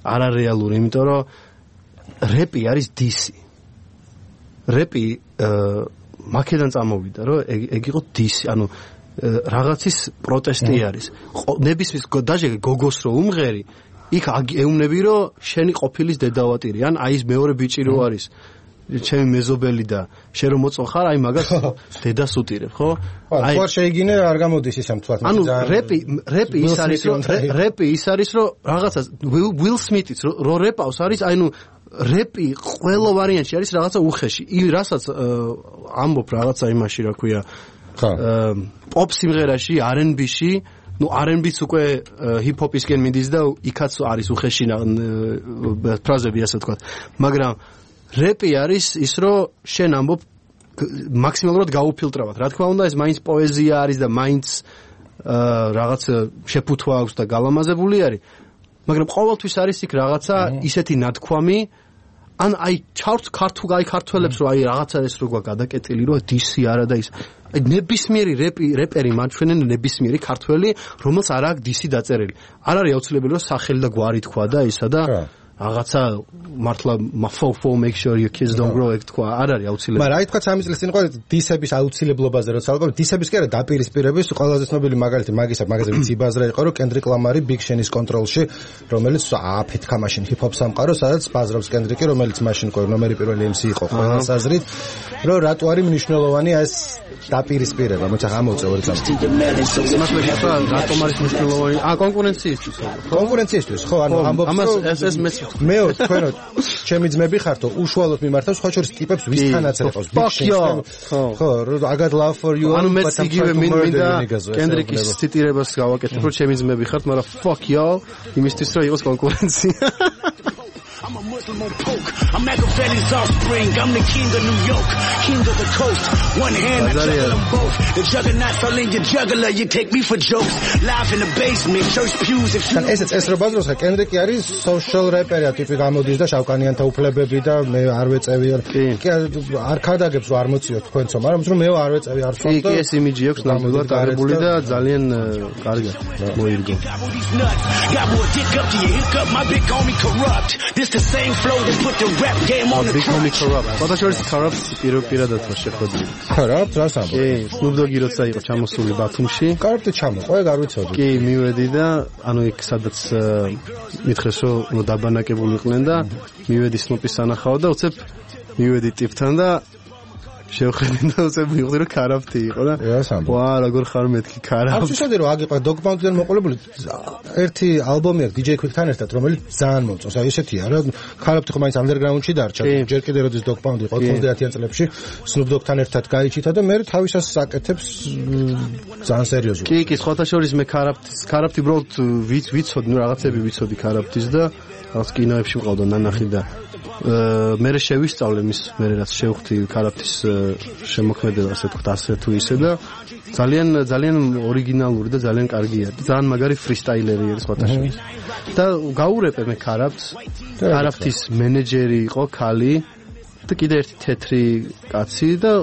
S3: არარეალური, იმიტომ რომ რეპი არის DC. რეპი მაკედან წამოვიდა, რომ ეგ იყო DC, ანუ რაღაცის პროტესტი არის. ნებისმის დაჟე გოგოს რო უმღერი, იქ ეუბნები რომ შენი ყოფილის დედავატირი, ან აი ეს მეორე ბიჭი რო არის. ჩემი მეზობელი და შენ რომ მოწონხარ, აი მაგას დედას უტირებ, ხო?
S1: აი თუ არ შეიგინე არ გამოდის ისე მთლად.
S3: ანუ რეპი ის არის რომ რაღაცა Will Smith-იც რო რეპავს არის, აი ნუ რეპი ყველა ვარიანტში არის რაღაცა უხეში. რასაც ამბობ რაღაცა იმაში, რა ქვია, პოპ სიმღერაში, R&B-ში, ну R&B-ც უკვე ჰიპ-ჰოპისკენ მიდის და იქაც არის უხეში ფრაზები, ასე ვთქვათ. მაგრამ რეპი არის ის, რომ შენ ამბობ მაქსიმალურად გაუფილტრავად. რა თქმა უნდა, ეს მაინც პოეზია არის და მაინც რაღაც შეფუთვა აქვს და გალამაზებული არის. მაგრამ ყოველთვის არის იქ რაღაცა ისეთი ნათქვამი, ან აი ქართველებს რომ აი რაღაცა ეს როგორ გადაკეტილი, რომ DC არა და ის. აი ნებისმიერი რეპერი მაჩვენენ ნებისმიერი ქართველი, რომელს არ აქვს DC დაწერილი. არ არის აუცილებელი რომ სახელი და გვარი თქვა და ისა და რაღაცა მართლა fo make sure your kids don't grow ეგ თქვა არ არის აუცილებელი.
S1: მაგრამ აი თქვა 3 წლის წინ ყო დისების აუცილებლობაზე როცა ალბათ დისების კი არა დაპირისპირების ყველაზე ცნობილი მაგალითი მაგაზე ვიცი ბაზრა იყო რომ კენდრიკ ლამარი Big Sean-ის კონტროლში რომელიც აფეთქა მაშინ ჰიპ-ჰოპ სამყარო სადაც ბაზრობს კენდრიკი რომელიც მაშინ ყო ნომერი პირველი MC იყო ყველა საზრით რომ რატო არის მნიშვნელოვანი ეს დაპირისპირება მოიცა ამოწე ორი წამი
S3: მას მეშვა რატომ არის მნიშვნელოვანი კონკურენციისთვის
S1: ხო ანუ ამბობს
S3: ამას ეს მეც
S1: მეო თქვენო ჩემი ძმები ხართო უშუალოდ მიმართავს სხვა შორის ტიპებს ვისთანაც ეყავს ხო I got love for you
S3: ანუ მე იგივე მინდა კენდრიკის ციტირებას გავაკეთებ რომ ჩემი ძმები ხართ მაგრამ fuck y'all იმისთვის რომ იყოს კონკურენცია
S6: I'm a Muslim on poke. I'm Machiavelli's offspring. I'm the king of New York, king of the coast. One hand, I juggle them both. The juggernauts all in your juggler. You take me for jokes. Live in the basement, church pews. If you
S1: ესეც ეს რო ბაზრობს, კენდრიკი არის social rapper-ია, ტიპი გამოდის და შავკანიანთა უფლებები და მე არ ვეწევი. კი არ ქადაგებს რომ არ მოციოთ თქვენцо, მაგრამ რომ მე არ ვეწევი არ ვთქვი.
S3: კი ეს იმიჯი აქვს ნამდვილად აღებული და ძალიან კარგია მოირგო.
S6: got more dick up to your hiccup. My big homie corrupt. This the same flow that put the rap game on the
S3: track. Potentially corrupt პირადად შეხვედრილი.
S1: Corrupt რას ამბობ?
S3: კი, Snoop Dogg-ი როცა იყო ჩამოსული ბათუმში.
S1: Corrupt-ი ჩამოყვა, არ ვიცოდი.
S3: კი, მივედი და ანუ იქ სადაც მითხრეს რომ დაბანაკებული იყვნენ და მივედი Snoop-ის სანახავად და უცებ მივედი ტიპთან და შევხედე და უცებ მივხვდი რომ Corrupt-ი იყო და ვა როგორ ხარ მეთქი Corrupt.
S1: აბსოლუტურად რომ აგიყვა Dog Pound-დან მოყოლებული ერთი ალბომი აქვს DJ Quick-თან ერთად რომელიც ძალიან მომწონს. აი ესეთია რა Corrupt-ი ხო მაინც underground-ში დარჩა. ჯერ კიდევ როდის Dog Pound იყო 90-იან წლებში Snoop Dogg-თან ერთად გაიჩითა და მე თავისას აკეთებს ძალიან სერიოზულად.
S3: კი, სხვათა შორის მე Corrupt-ი უბრალოდ ვიცოდი, რაღაცები ვიცოდი Corrupt-ის და რაღაც კინოებში ვყავდა ნანახი და მე შევისწავლე მის მე რაც შევხვდი Corrupt-ის შემოქმედება ასე ვთქვათ ასე თუ ისე და ძალიან ორიგინალური და ძალიან კარგია. ძალიან მაგარი ფრისტაილერი არის სხვათა შორის. და გაურეპე მე Corrupt-ს. Corrupt-ის მენეჯერი იყო ქალი და კიდე ერთი თეთრი კაცი და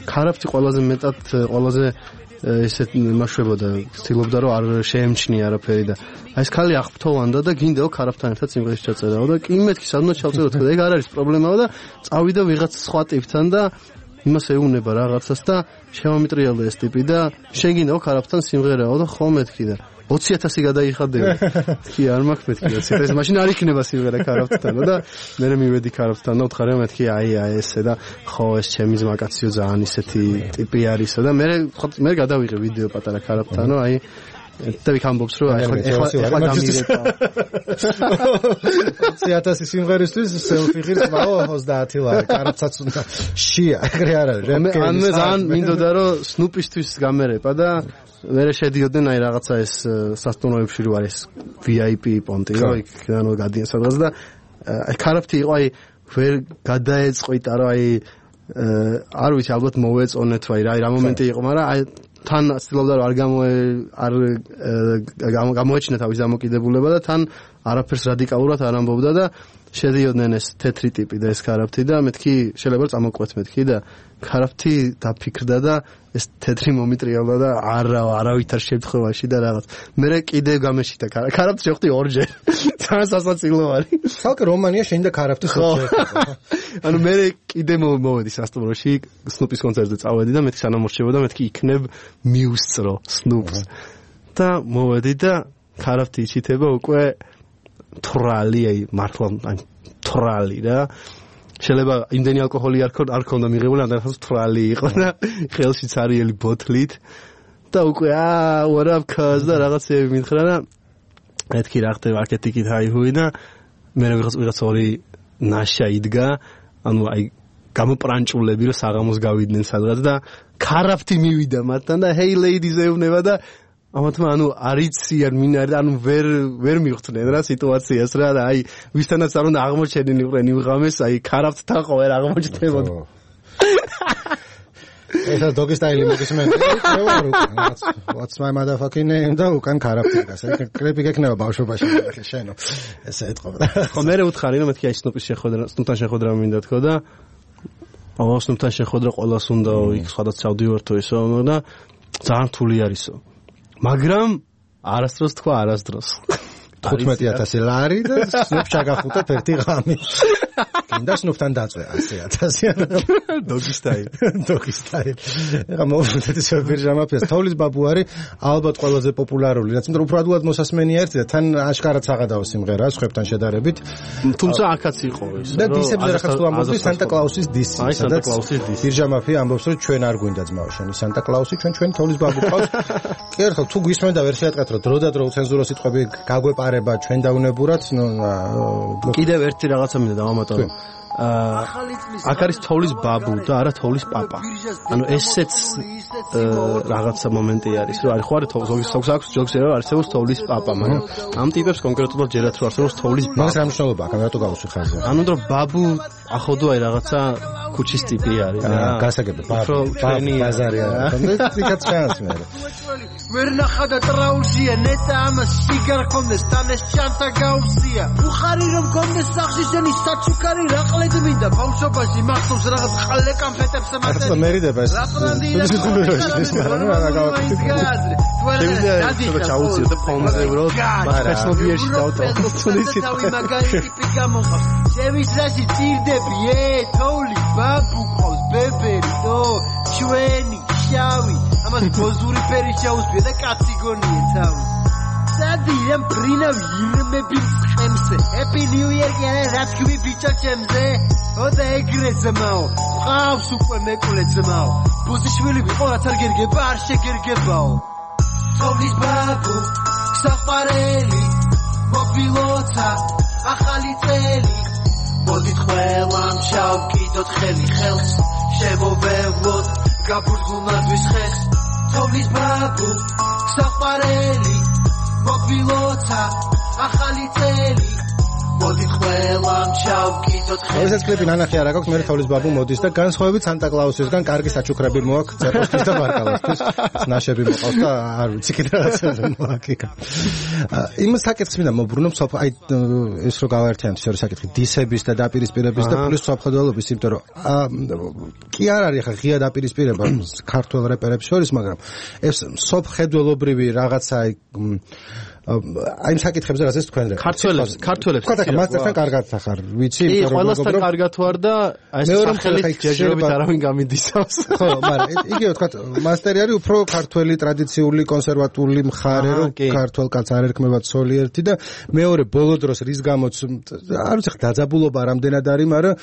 S3: Corrupt-ი ყველაზე მეტად ყველაზე ესეთ მაშვებოდა ცდილობდა რომ არ შეემჩნია არაფერი და აი ეს ქალი აღფრთოვანდა და გინდაო Corrupt-თან ერთად სიმღერის ჩაწერაო და კი მეთქი სადმე ჩავწეროთ და ეგ არ არის პრობლემაა და წავიდა ვიღაც სხვა ტიპთან და იმას ეუნება რაღაცას და შემომიტრიალდა ეს ტიპი და შენ გინდაო Corrupt-თან სიმღერაო და ხო მეთქი და 20,000 გადაიხადები. კი არ მაქვს მეთქი 20,000. ეს მაშინ არ იქნება სიმღერა Corrupt-თან და მე მივედი Corrupt-თან და ვთხარი რომ მეთქი აი ესე და ხო ეს ჩემი ძმაკაციო ძალიან ისეთი ტიპი არისო და მე გადავიღე ვიდეო პატარა Corrupt-თან რომ აი და ვიქ ამბობს რომ ახლა გამირეკა
S1: 20,000 სიმღერისთვის selfie ღირს მაო 30 ლარი Corrupt-საც უნდა შია ეგრე არ არის
S3: ან მე ძალიან მინდოდა რომ Snoop-ისთვის გამერეპა და მე შედიოდნენ აი რაღაცა ეს სასტუმროებში რო არის VIP პონტი რო იქიდან გადიან სადღაც და აი Corrupt-ი იყო აი ვერ გადაეწყვიტა რომ აი არ ვიცი ალბათ მოვეწონეთ ვაი რა მომენტი იყო მაგრამ აი თან ცდილობდა რომ არ გამოეჩინა თავის დამოკიდებულება და თან არაფერს რადიკალურად არ ამბობდა და შედიოდნენ ეს თეთრი ტიპი და ეს Corrupt-ი და მეთქი შეიძლება წამოყვეთ მეთქი და Corrupt-ი დაფიქრდა და ეს თეთრი მომიტრიალდა და არავითარ შემთხვევაში და რაღაც მე კიდე გამეშიტა Corrupt-ი შევხვდი ორჯერ ძალიან სასაცილო არის
S1: თალკ რომანია შენ და Corrupt-ი ხოჭერდა
S3: ანუ მე კიდე მოვედი სასტუმროში Snoop-ის კონცერტზე წავედი და მეთქი სანამორჩებოდა მეთქი იქნებ მიუსწრო Snoop-ს და მოვედი და Corrupt-ი იჩითება უკვე თრალი აი მართლა აი თრალი რა შეიძლება იმდენი ალკოჰოლი არ ქონდა მიღებული ან რაღაც თრალი იყო და ხელში ცარიელი ბოთლით და უკვე what up cuz და რაღაცები მითხრა და მეთქი რა ხდება მარკეტინგით აიჰუი და მე ვიღაც ორი ნაშა იდგა ანუ აი გამოპრანჭულები რომ საღამოს გავიდნენ სადღაც და Corrupt-ი მივიდა მათთან და hey ladies ეუბნება და ამათმა ანუ არიციან მინარ ანუ ვერ მიხვდნენ რა სიტუაციას რა და აი ვისთანაც არ უნდა აღმოჩენილიყნენ იმ ღამეს აი Corrupt-თან ხო ვერ აღმოჩნდებოდა
S1: ეს დოგი სტაილი მოგისმენთ what's my motherfucking name და უკან Corrupt-ი გასა კლიპი გექნება ბავშვობაში შენო ესე ეთყობა
S3: ხო მე უთხარი რომ მეთქი აი Snoop-თან შეხვედრა მინდა თქო და Snoop-თან შეხვედრა ყველას უნდა იქ სხვადასხვა ჩავდივართო ესო და ძალიან რთული არისო მაგრამ არასდროს თქვა არასდროს
S1: 15,000 ლარი და Snoop ჩაგახუტა ერთი ღამი გინდა სნუფთან დაწვე 100,000 დოგისტაილი ეხა მოვუწეთ ისე ბირჟამაფიას თოვლის ბაბუ არის ალბათ ყველაზე პოპულარული რაც მეტყვი უფრო ადულად მოსასმენია ერთი და თან აშკარად საღადაო სიმღერაა სხვებთან შედარებით
S3: თუმცა აქაც იყო ეს
S1: და დისებზე რახაც თუ ამბობდი სანტა კლაუსის დისი
S3: სანტა კლაუსის დისი
S1: ბირჟამაფია ამბობს რომ ჩვენ არ გვინდა ძმაო შენი სანტა კლაუსი ჩვენ თოვლის ბაბუ ყავს კი ერთხელ თუ გვისმენდა ვერ შეატყათ რომ დროდადრო უცენზურო სიტყვები გაგვეპარება ჩვენ დაუნებურად
S3: კიდევ ერთი რაღაცა მინდა დავამატო აქ არის თოვლის ბაბუ და არა თოვლის პაპა. ანუ ესეც რაღაცა მომენტი არის, რომ არის ხო არა თოვლის აქვს ჯოქს რა არსებობს თოვლის პაპა, მაგრამ ამ ტიპებს კონკრეტულად ჯერათ რომ არსებობს თოვლის ბაბა.
S1: მაგას რა მნიშვნელობა აქვს, რატო გავუსვი ხაზზე?
S3: ანუ რომ ბაბუ ახოდო აი რაღაცა ქუჩის ტიპი არის რა.
S1: გასაგები ბაზარი არის. იქაც ჩანს მე.
S2: ვერ ნახადა ტრაულშია ნეტა ამას სიგარ ხონდეს თან ეს ჩანთა გაუსია. უხარი რომ გონდეს სახში შენი საჩუქარი რაყლედ მინდა ბავშვობაში მახსოვს რაღაც ყალე კამფეტებს
S1: მაგაზე. ახლა მერიდება ეს.
S3: შეიძლება ჩაუციო და ფონზე ვრო ფესნობიერში დავტო.
S2: ჩემის რაში წირდები თოვლი ბაბუ ყავს ბებერი ო ჩვენი შავი ამას გოზური ფერი შეუსვია და კაცი გონია თავი სადიამ პრინავ ირმები ხემზე ჰეპი ნიუ იერ გერე რაც ქვი ბიჭო ჩემზე ოდა ეგრე ძმაო ყავს უკვე მეკვლე ძმაო ბუზიშვილი ვიყო რაც არ გერგება არ შეგერგებაო თოვლის ბაბუ საყვარელი მობილოცა ახალი წელი მოდით ყველამ შავკიდოთ ხელი ხელს შემოვევლოთ გაბურგულნადვის ხეს თოვლის ბაბუ საყვარელი მოგვილოცა ახალი წელი მოდით ყველამ შავკიდოთ ხელი
S1: ესეც კლიპი ნანახი არ აქვს მე თოვლის ბაბუ მოდის და განსხვავებით სანტა კლაუსისგან კარგი საჩუქრები მოაქვს წერტოსთვის და ბარკალოსთვის ნაშები მოყავს და არ ვიცი კიდე რაღაცა მოაკიკა იმ საკითხს მინდა მოbrunო აი ეს რო გავაერთიანოთ შორის საკითხი დისების და დაპირისპირების და პლუს საფხდელობის იმიტომ რომ კი არ არის ხა ღია დაპირისპირება ქართულ რეპერებს შორის მაგრამ ეს სოფხედველობრივი რაღაცა აი იმ საკითხებზე რასაც თქვენ
S3: ქართველებს
S1: თქვა მასტერთან კარგად ახარ ვიცი
S3: იმიტომ რომ ყველასთან კარგად ვარ და აი ეს სახელით ჯერჯერობით არავინ გამიდისავს
S1: ხო მაგრამ იგივე თქვა მასტერი არის უფრო ქართველი ტრადიციული კონსერვატული მხარე რომ ქართველ კაცს არ ერქმება ცოლი ერთი და მეორე ბოლო დროს რის გამოც არ ვიცი დაძაბულობა რამდენად არის მაგრამ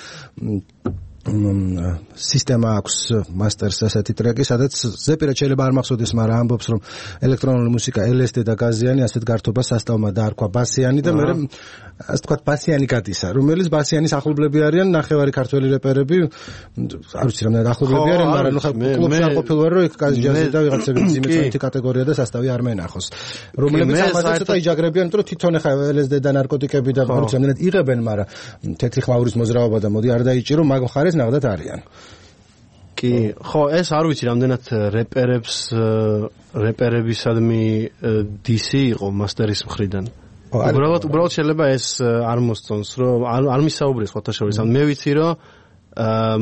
S1: სისტემა აქვს მასტერს ასეთი ტრეკი, სადაც ზეპირად შეიძლება არ მახსოვდეს, მაგრამ ამბობს რომ ელექტრონული მუსიკა LSD და გაზიანი ასეთ გართობას სასტავმა დაარქვა ბასიანი და მე ასე თქვა ბასიანი გადისა, რომელიც ბასიანის ახლობლები არიან, ნახევარი ქართველი რეპერები, არ ვიცი რამდენად ახლობლები არიან, მაგრამ კლუბში არ ყოფილვარ რომ იქ ჯაზი და ვიღაცები ძიმეწონითი კატეგორია და სასტავი არ მენახოს. რომლებიც ამაზე ცოტა იჯაგრებიან, იმიტომ რომ თვითონ ხა LSD და ნარკოტიკები და არ ვიცი რამდენად იღებენ, მაგრამ თეთრი ხმაურის მოძრაობა და მოდი არ დაიჭირო, მაგ მხარეს ნახდათ არიან.
S3: კი, ხო, ეს არ ვიცი რამდენად რეპერებისადმი DC იყო მასტერის მხრიდან. უბრალოდ შეიძლება ეს არ მოსწონს, რომ არ მისაუბრეს სხვათა შორის. მე ვიცი, რომ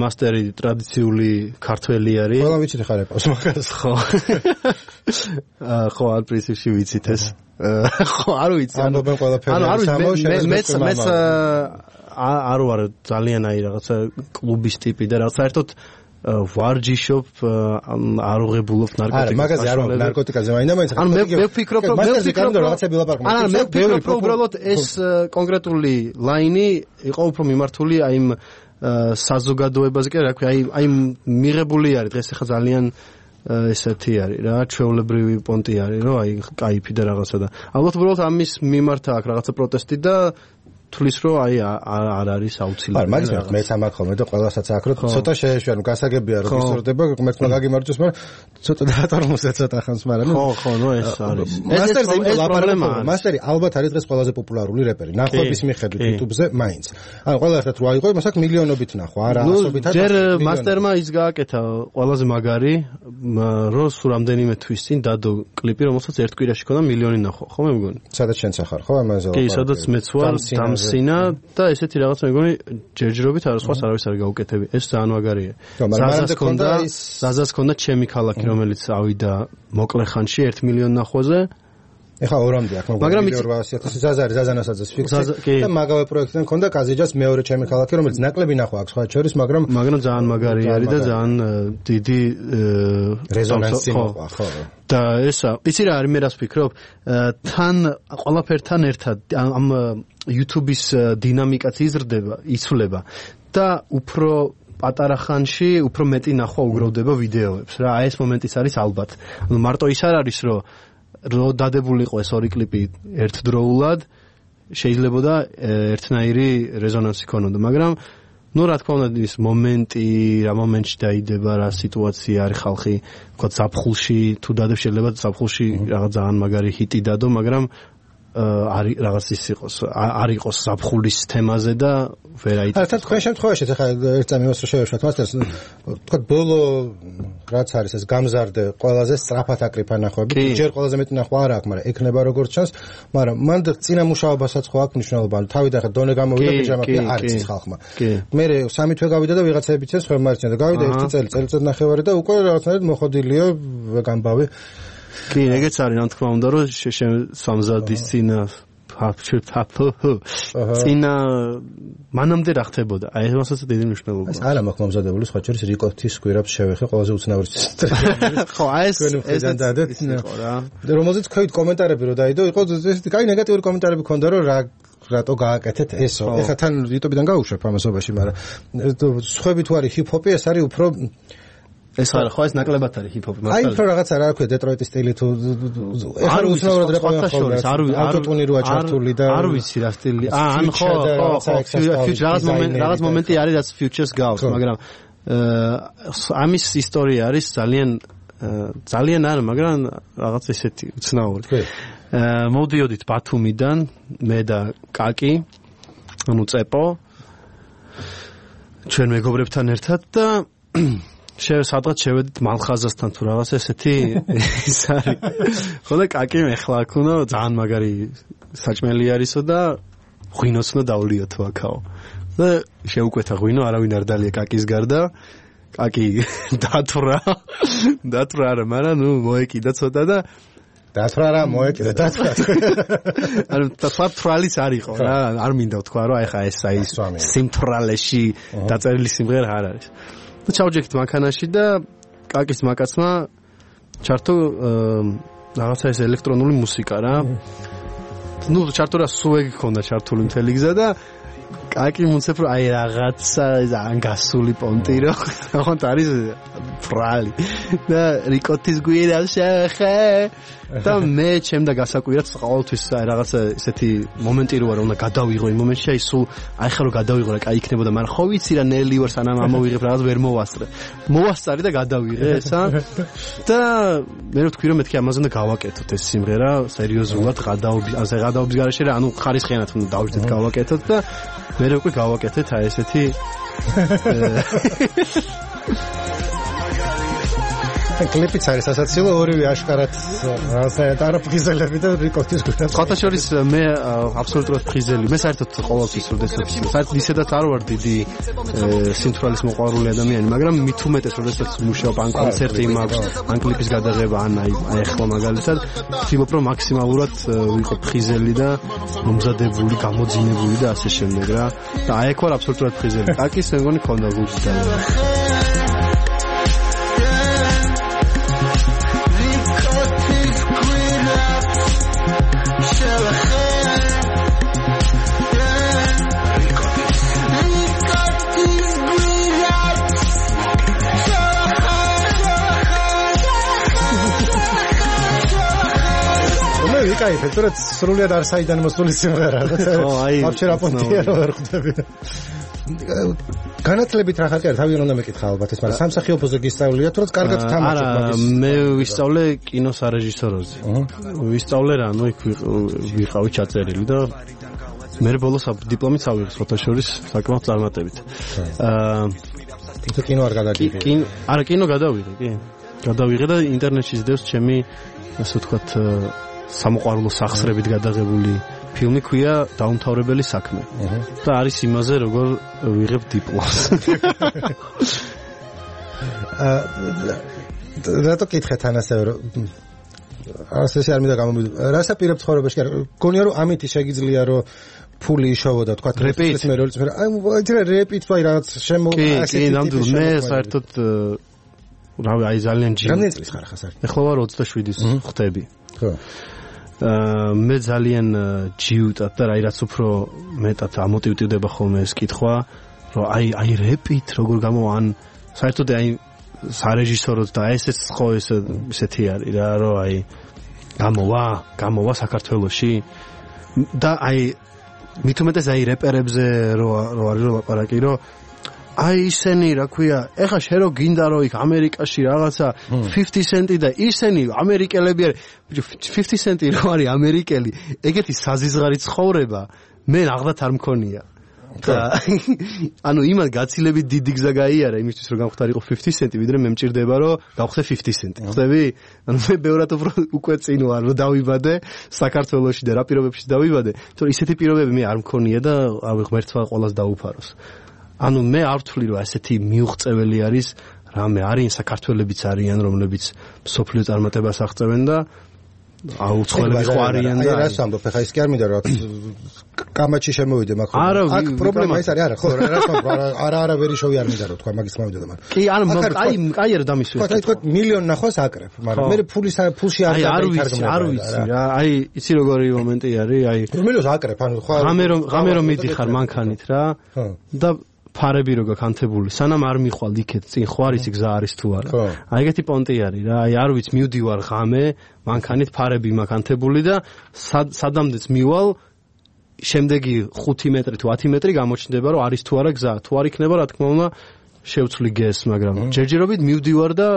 S3: მასტერი ტრადიციული ქართველი არის.
S1: ყველა ვიცით ხარ ეპოს მაგას.
S3: ხო. ხო, არ პრინციპში ვიცით ეს. ხო, არ ვიცი.
S1: ამბობენ ყველაფერი.
S3: მეც არ ვარ ძალიან აი რაღაცა კლუბის ტიპი და რაღაც საერთოდ ვარჯიშობ არ უღებულობ ნარკოტიკას.
S1: არა, მაგაზე არ ვარ ნარკოტიკაზე, მაინც.
S3: ანუ მე ვფიქრობ რომ
S1: რაღაცები ვილაპარაკობ.
S3: არა, მე ვფიქრობ რომ უბრალოდ ეს კონკრეტული ლაინი იყო უფრო მიმართული აი იმ საზოგადოებაზე, კი რა ქვია, აი მიღებული არის დღეს ახლა ძალიან ესეთი არის რა, ჩვეულებრივი პონტი არის, რომ აი кайფი და რაღაცა და ალბათ უბრალოდ ამის მიმართ აქვს რაღაცა პროტესტი და თulis რომ აი არ არის აუცილებელი.
S1: არა, მაგის მე სამართ ხოლმე და ყველასაც აქ რომ ცოტა შეეშვია, ნუ გასაგებია რომ ისურდება, მერტმა გაგიმარჯოს, მაგრამ ცოტა დაატარმოსა ცოტა ხანს, მაგრამ ნუ
S3: ხო, ნუ ეს არის.
S1: ეს პრობლემაა. მასტერი ალბათ არის დღეს ყველაზე პოპულარული რეპერი. ნახვების მიხედვით YouTube-ზე მაინც. ანუ ყველა ერთად რო აიღო, იმასაც მილიონობით ნახვა, არა ასობით.
S3: ჯერ მასტერმა ის გააკეთა ყველაზე მაგარი, რომ სულ რამდენიმე თვის წინ დადო კლიპი, რომელსაც ერთ კვირაში ქონდა მილიონი ნახვა, ხო მე მგონი?
S1: სადაც შენც ახარ, ხო ამაზე?
S3: კი, სადაც მეც ვარ, დამსინა და ესეთი რაღაცა მეგონი ჯერჯერობით არა სხვას არავის არ გაუკეთები. ეს ძალიან მაგარია. ზაზას ქონდა ჩემი ქალაქი, რომელიც ავიდა მოკლე ხანში 1 მილიონ ნახვაზე
S1: ეხა ორამდე აქ მაგრამ 200,000 ზაზანასაც ფიქსი და მაგავე პროექტიდან მქონდა კაზიჯას მეორე ჩემი ქალაქი რომელიც ნაკლები ნახვა აქვს სხვა შორის მაგრამ
S3: ძალიან მაგარი არის და ძალიან დიდი
S1: რეზონანსი მოყვა ხო
S3: და ესა იცი რა არის მე რას ვფიქრობ თან ყველაფერთან ერთად ამ YouTube-ის დინამიკაც იზრდება იცვლება და უფრო პატარა ხანში უფრო მეტი ნახვა უგროვდება ვიდეოებს რა აი ეს მომენტიც არის ალბათ ანუ მარტო ის არ არის რომ დადებული იყო ეს ორი კლიპი ერთდროულად შეიძლება და ერთნაირი რეზონანსი ქონოდა მაგრამ ну რა თქმა უნდა ის მომენტი რა მომენტში დაიდება რა სიტუაცია არის ხალხი თქვა ზაფხულში თუ დადებს შეიძლება ზაფხულში რაღაც ძალიან მაგარი ჰიტი დადო მაგრამ არის რაღაც ის იყოს არ იყოს ზაფხულის თემაზე და ვერ აიწევს.
S1: არა, თქვენ შემთხვევაში ხა ერთ წამივას რო შევეშვათ მასტერს თქვა ბოლო რაც არის ეს გამზარდე ყველაზე სწრაფად აკრიფა ნახვები ჯერ ყველაზე მეტი ნახვა არ აქვს მაგრამ ექნება როგორც ჩანს მაგრამ მან წინა მუშაობასაც ხო აქვს მნიშვნელობა თავიდან ხა დონე გამოვიდა პიჟამაში არ იცის ხალხმა მე 3 თვე გავიდა და ვიღაცები ცეს ხომ მარჩენ და გავიდა 1 წელიწად ნახევარი და უკვე რაღაცნაირად მოხოდილია გამბავი
S3: კი, ეგეც არის, რა თქმა უნდა, რომ სამზადის წინა მანამდე რა ხდებოდა? აი ამასაც დიდი მნიშვნელობა.
S1: ეს არა მაქვს მომზადებული, სხვა შორის რიკოთის გვირაბს შევეხე, ყველაზე უცნაური
S3: ხო, ეს
S1: რა. რომელზეც ქვევით კომენტარები რო დაიდო, იყო კაი ნეგატიური კომენტარები ქონდა, რომ რატო გააკეთეთ ესო. ეხლა თან YouTube-დან გავუშვებ ამასობაში, მაგრამ სხვები თუ არის ჰიპ-ჰოპი, ეს არის უფრო
S3: ეს არა ხო ეს ნაკლებად არის ჰიპ-ჰოპი
S1: მაგრამ აი უფრო რაღაცა რა ქვია დეტროიტის სტილი თუ ეხლა უცნაურად რეპერტუარი ხდება ავტოტუნი როა ჩართული და
S3: არ ვიცი რა სტილი ან ხო რაღაც მომენტი არის რაც futures გავს მაგრამ ამის ისტორია არის ძალიან არა მაგრამ რაღაც ესეთი უცნაური მოვდიოდით ბათუმიდან მე და კაკი ანუ წეპო ჩვენ მეგობრებთან ერთად და სადღაც შევედით მალხაზასთან თუ რაღაც ესეთი ის არის. ხო და კაკი მეხლა აქ უნდა ძალიან მაგარი საჭმელი არისო და ღვინოც უნდა დავლიოთ აქაო. და შეუკვეთა ღვინო, არავინ არ დალია კაკის გარდა. კაკი დათვრა არა, მაგრამ ნუ მოეკიდა ცოტა და
S1: დათვრა რა მოეკიდა დათვრა.
S3: ანუ თვალის არ იყო რა, არ მინდა ვთქვა რომ აი ხა ეს აი სიმთვრალეში დაწერილი სიმღერა არ არის. და ჩავჯექით მანქანაში და კაკის მაკაცმა ჩართო რაღაცა ეს ელექტრონული მუსიკა რა. ნუ ჩართო რა სუეგი ქონდა ჩართული მთელი გზა და კაკი მუნცებ რომ აი რაღაცა ძალიან გასული პონტი რო ხონთ არის ფრალი და რიკოთის გვირაბ შეხე და მე ჩემდა გასაკვირად ყოველთვის აი რაღაცა ესეთი მომენტი რო არა უნდა გადავიღო იმ მომენტში აი სულ აი ხა რომ გადავიღო რა კაი იქნებოდა მაგრამ ხო ვიცი რა ნელი ვარ სანამ ამოვიღებ რაღაც ვერ მოვასწარი და გადავიღე ესა და მე რო თქვი რომ მეთქი ამაზე უნდა გავაკეთოთ ეს სიმღერა სერიოზულად გადაობის გარეშე რა ანუ ხარისხიანად უნდა დავждეთ გავაკეთოთ და მე უკვე გავაკეთეთ აი ესეთი
S1: კლიპიც არის სასაცილო ორივე აშკარად რაღაცა არაფრიზელები და რიკოთის გვირაბს.
S3: ხოთა შორის მე აბსოლუტურად ფრიზელი. მე საერთოდ ყოველთვის როდესაც საერთოდ ისედაც არ ვარ დიდი სიმთვრალის მოყვარული ადამიანი, მაგრამ მით უმეტეს როდესაც მუშაობ ან კონცერტი მაქვს, ან კლიპის გადაღება, ან აი ახლა მაგალითად ვთქვი რომ მაქსიმალურად ვიყო ფრიზელი და მომზადებული, გამოძინებული და ასე შემდეგ რა. და აი აქ ვარ აბსოლუტურად ფრიზელი. კაკის მე მგონი ქონდა გულში და
S1: კაი, ფეთრად სრულიად არ საიდან მოსული სიმღერა. ხო, აი, ვაფშე რა პონტია რო ვერ ხვდები. განათლებით რა ხარკი არის? თავიდან უნდა მეკითხა ალბათ ეს, მაგრამ სამსახიობოზე გისწავლია თუ რაც კარგად თამაშობ მაგის.
S3: არა, მე ვისწავლე კინოს არეჟისოროზე. ვისწავლე რა, ნუ იქ ვიყავი ჩაწერილი და მე ბოლოს დიპლომიც ავიღე ფოტოშორის საკმაოდ წარმატებით.
S1: თუ კინო არ გადაგიღე.
S3: არა, კინო გადავიღე, კი. გადავიღე და ინტერნეტში ზდევს ჩემი ასე ვთქვათ სამოყვარულო სახსრებით გადაღებული ფილმი ქვია დაუმთავრებელი საქმე. და არის იმაზე როგორ ვიღებ დიპლომს.
S1: რატო კითხეთ ან ასევე ასე არ მინდა გამომიდო. რას აპირებ ცხოვრებაში? გონია რომ ამით შეგიძლია რომ ფული იშოვოდა თქვა
S3: რეპით
S1: მე როლის მე აი რეპით ვაი რაღაც შემო
S3: ასეთი ნამდვილად მე საერთოდ რავი აი ძალიან ჯი
S1: რამდენი წლის ხარ ხას არის?
S3: ეხლა ვარ 27-ის ხდები.
S1: ხო.
S3: მე ძალიან ჯიუტად და რაი რაც უფრო მეტად ამოტივდება ხოლმე ეს კითხვა რომ აი რეპით როგორ გამოვან საერთოდ აი სარეჟისოროდ და ესეც ხო ესეთი არის რა რომ აი გამოვა საქართველოში და აი მით უმეტეს აი რეპერებზე რო არის რომ ლაპარაკი რომ აი ისენი რა ქვია ეხა შე რო გინდა რომ იქ ამერიკაში რაღაცა 50 cent და ისენი ამერიკელები არის 50 cent რო არის ამერიკელი ეგეთი საზიზღარი ცხოვრება მე აღდათ არ მქონია და ანუ იმან გაცილებით დიდი გზა გაიარა იმისთვის რომ გამختارიყო 50 cent ვიდრე მე მჭირდება რომ გავხდე 50 cent ხდები ანუ მე ბევრად უკვე წინ ვარ რომ დავიბადე საქართველოში და რა პირობებში დავიბადე თორე ისეთი პირობები მე არ მქონია და რავი ღმერთმა ყველას დაუფაროს ანუ მე არ ვთვლი რომ ასეთი მიუღწეველი არის რამე არიან საქართველებიც არიან რომლებიც სოფლიო წარმატებას აღწევენ და აუცილებლად ყვარიან და
S1: აი რას ამბობ ხა ის კი არ მინდა რომ კამაჩი შემოვიდე მაგ აქ პრობლემა ის არის არა ხო არა ვერი შოვი არ მინდა რომ თქვა მაგის მოვიდა და მაგრამ
S3: კი ანუ აი არა დამისვეს
S1: ხო თქვა მილიონ ნახვას აკრებ მაგრამ მე ფულში არ
S3: დაითარგმნა არ ვიცი რა აი იცი როგორი მომენტი არის აი
S1: რომელოს აკრებ ანუ ხო
S3: ღამე რომ მიდიხარ მანქანით რა და ფარები რო გაკანთებული სანამ არ მიხვალ იქეთ წინ ხო არის გზა არის თუ არა აი ეგეთი პონტი არის რა აი არ ვიცი მივდივარ ღამე მანქანით ფარები მაკანთებული და სადამდეც მივალ შემდეგი 5 მეტრი თუ 10 მეტრი გამოჩნდება რომ არის თუ არა გზა თუ არ იქნება რა თქმა უნდა შევცვლი გეს მაგრამ ჯერჯერობით მივდივარ და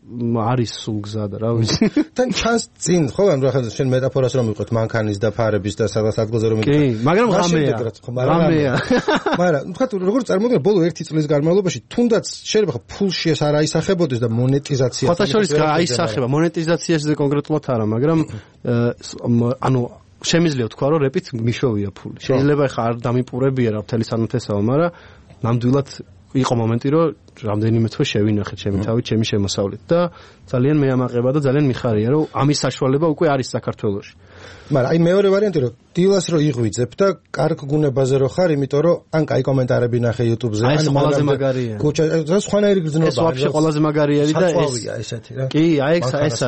S3: არის სულ გზა და რა ვიცი
S1: თან ჩანს წინ ხო ანუ ახლა შენ მეტაფორას რომ მიყვეთ მანქანის და ფარების და სადღაც ადგილზე რომ
S3: კი მაგრამ ღამეა
S1: მაგრამ თქვა როგორ წარმოგიდგენ ბოლო 1 წლის განმავლობაში თუნდაც შეიძლება ფულში ეს არ აისახებოდეს და მონეტიზაცია
S3: ხოთა შორის აისახება მონეტიზაციაზე კონკრეტულად არა მაგრამ ანუ შემიძლია თქვა რომ რეპით მიშოვია ფული შეიძლება ხა არ დამიპურებია რა მთელი სანათესაო მაგრამ ნამდვილად იყო მომენტი რომ რამდენიმე თვე შევინახეთ ჩემი თავით ჩემი შემოსავლით და ძალიან მეამაყება და ძალიან მიხარია რომ ამის საშუალება უკვე არის საქართველოში
S1: მაგრამ აი მეორე ვარიანტი რომ დილას რო იღვიძებ და კარგ გუნებაზე რო ხარ იმიტომ რომ ან კაი კომენტარები ნახე YouTube-ზე
S3: ან ყველაზე მაგარია
S1: კუჩა ეს სხვანაირი გრძნობა
S3: ეს ვაფშე ყველაზე მაგარი არის და
S1: ესეთი რა
S3: კი აი ეს არის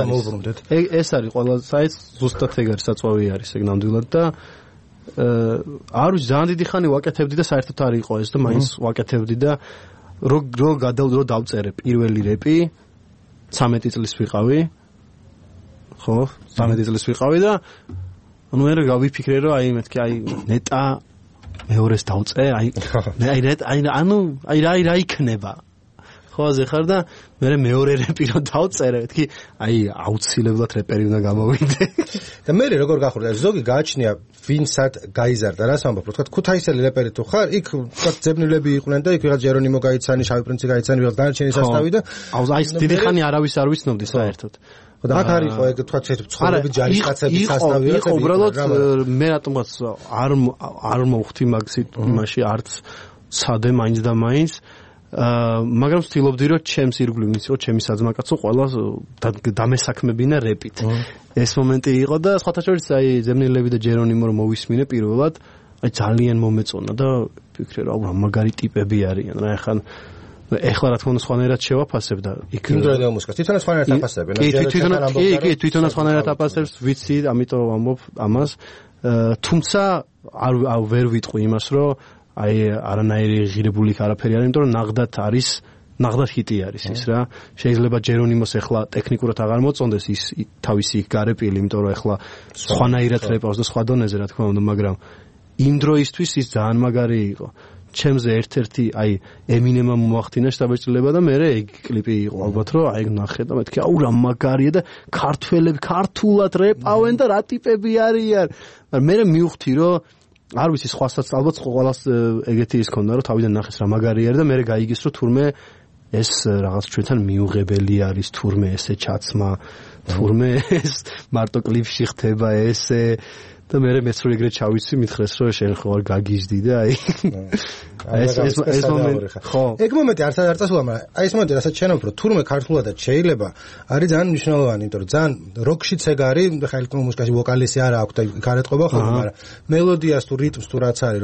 S3: ეს არის ყველაზე საერთოდ ზუსტად ეგ არის საწვავი არის ეგ ნამდვილად და არ ვიცი ძალიან დიდი ხანი ვაკეთებდი და საერთოდ არ იყო ეს და მაინც ვაკეთებდი და რო დავწერე პირველი რეპი 13 წლის ვიყავი ხო 13 წლის ვიყავი და ანუ მე გავიფიქრე რომ აი მეთქი აი ნეტა მეორეს დავწე აი რა იქნება ხო ასე ხარ და მე მეორე რეპი რო დავწერე მეთქი აი აუცილებლად რეპერი უნდა გამოვიდე
S1: და მე როგორ გახურდა ზოგი გააჩნია ვინსად გაიზარდა რას ამბობ თქვა ქუთაისელი რეპერი თუ ხარ იქ თქვა ძებნილები იყვნენ და იქ ვიღაც ჯერონიმო გაიცანი შავი პრინცი გაიცანი ვიღაც დანარჩენი სასტავი და
S3: აი დიდი ხანი არავის არ ვიცნობდი საერთოდ
S1: და აქ არისო ეგ თქვა ცხოვრები ჯარისკაცების სასტავი
S3: იყო უბრალოდ მე რატომაც არ მოვხვდი იმაში არც სადე მაინც და მაინც მაგრამ ვთილობდი რომ ჩემს ირგვლივ ვიცი რომ ჩემი საძმაკაცო ყველა დამესაქმებინა რეპით ეს მომენტი იყო და სხვათა შორის აი ზემნილები და ჯერონიმო რომ მოვისმინე პირველად აი ძალიან მომეწონა და ვფიქრე რომ რა მაგარი ტიპები არიან რა ეხლა რა თქმა უნდა სხვანაირად შევაფასებ და იქ
S1: იმდროინდელ მუსიკას თვითონაც სხვანაირად აფასებენ
S3: კი თვითონაც სხვანაირად აფასებს ვიცი ამიტომ ვამბობ ამას თუმცა არ ვერ ვიტყვი იმას რომ აი არანაირი ღირებული არაფერი არის, იმიტომ რომ ნაღდათ ჰიტი არის ის რა. შეიძლება ჯერონიმოს ახლა ტექნიკურად აღარ მოწონდეს ის თავისი გარეპილი, იმიტომ რომ ახლა სხვანაირად რეპავს და სხვა დონეზე რა თქმა უნდა, მაგრამ იმ დროისთვის ის ძალიან მაგარი იყო. ჩემზე ერთ-ერთი აი ემინემმა მოახდინა შტაბეჭდილება და მე ეგ კლიპი იყო ალბათ რომ აი ნახე და მეთქი აუ რა მაგარია და ქართველები ქართულად რეპავენ და რა ტიპები არიან. მაგრამ მე მივხვდი რომ არ ვიცი სხვასაც ალბათ ყველას ეგეთი ის ქონდა რომ თავიდან ნახეს რა მაგარი არის და მე გაიგეს რომ თურმე ეს რაღაც ჩვენთან მიუღებელი არის თურმე ესე ჩაცმა თურმე ეს მარტო კლიპში ხდება ესე და მე მეც რო ეგრე ჩავიცი მითხრეს რომ შენ ხო არ გაგიჟდი და ეს მომენტი ხო
S1: ეგ მომენტი არც უამრავ აი ეს მომენტი რასაც შენ უფრო თურმე ქართულადაც შეიძლება არის ძალიან მნიშვნელოვანი იმიტომ რომ ძალიან როკშიც ეგ არის ხა ელექტრონულ მუსიკაში ვოკალისი არა აქვს და გარეთყობა ხოლმე მაგრამ მელოდიას თუ რიტმს თუ რაც არის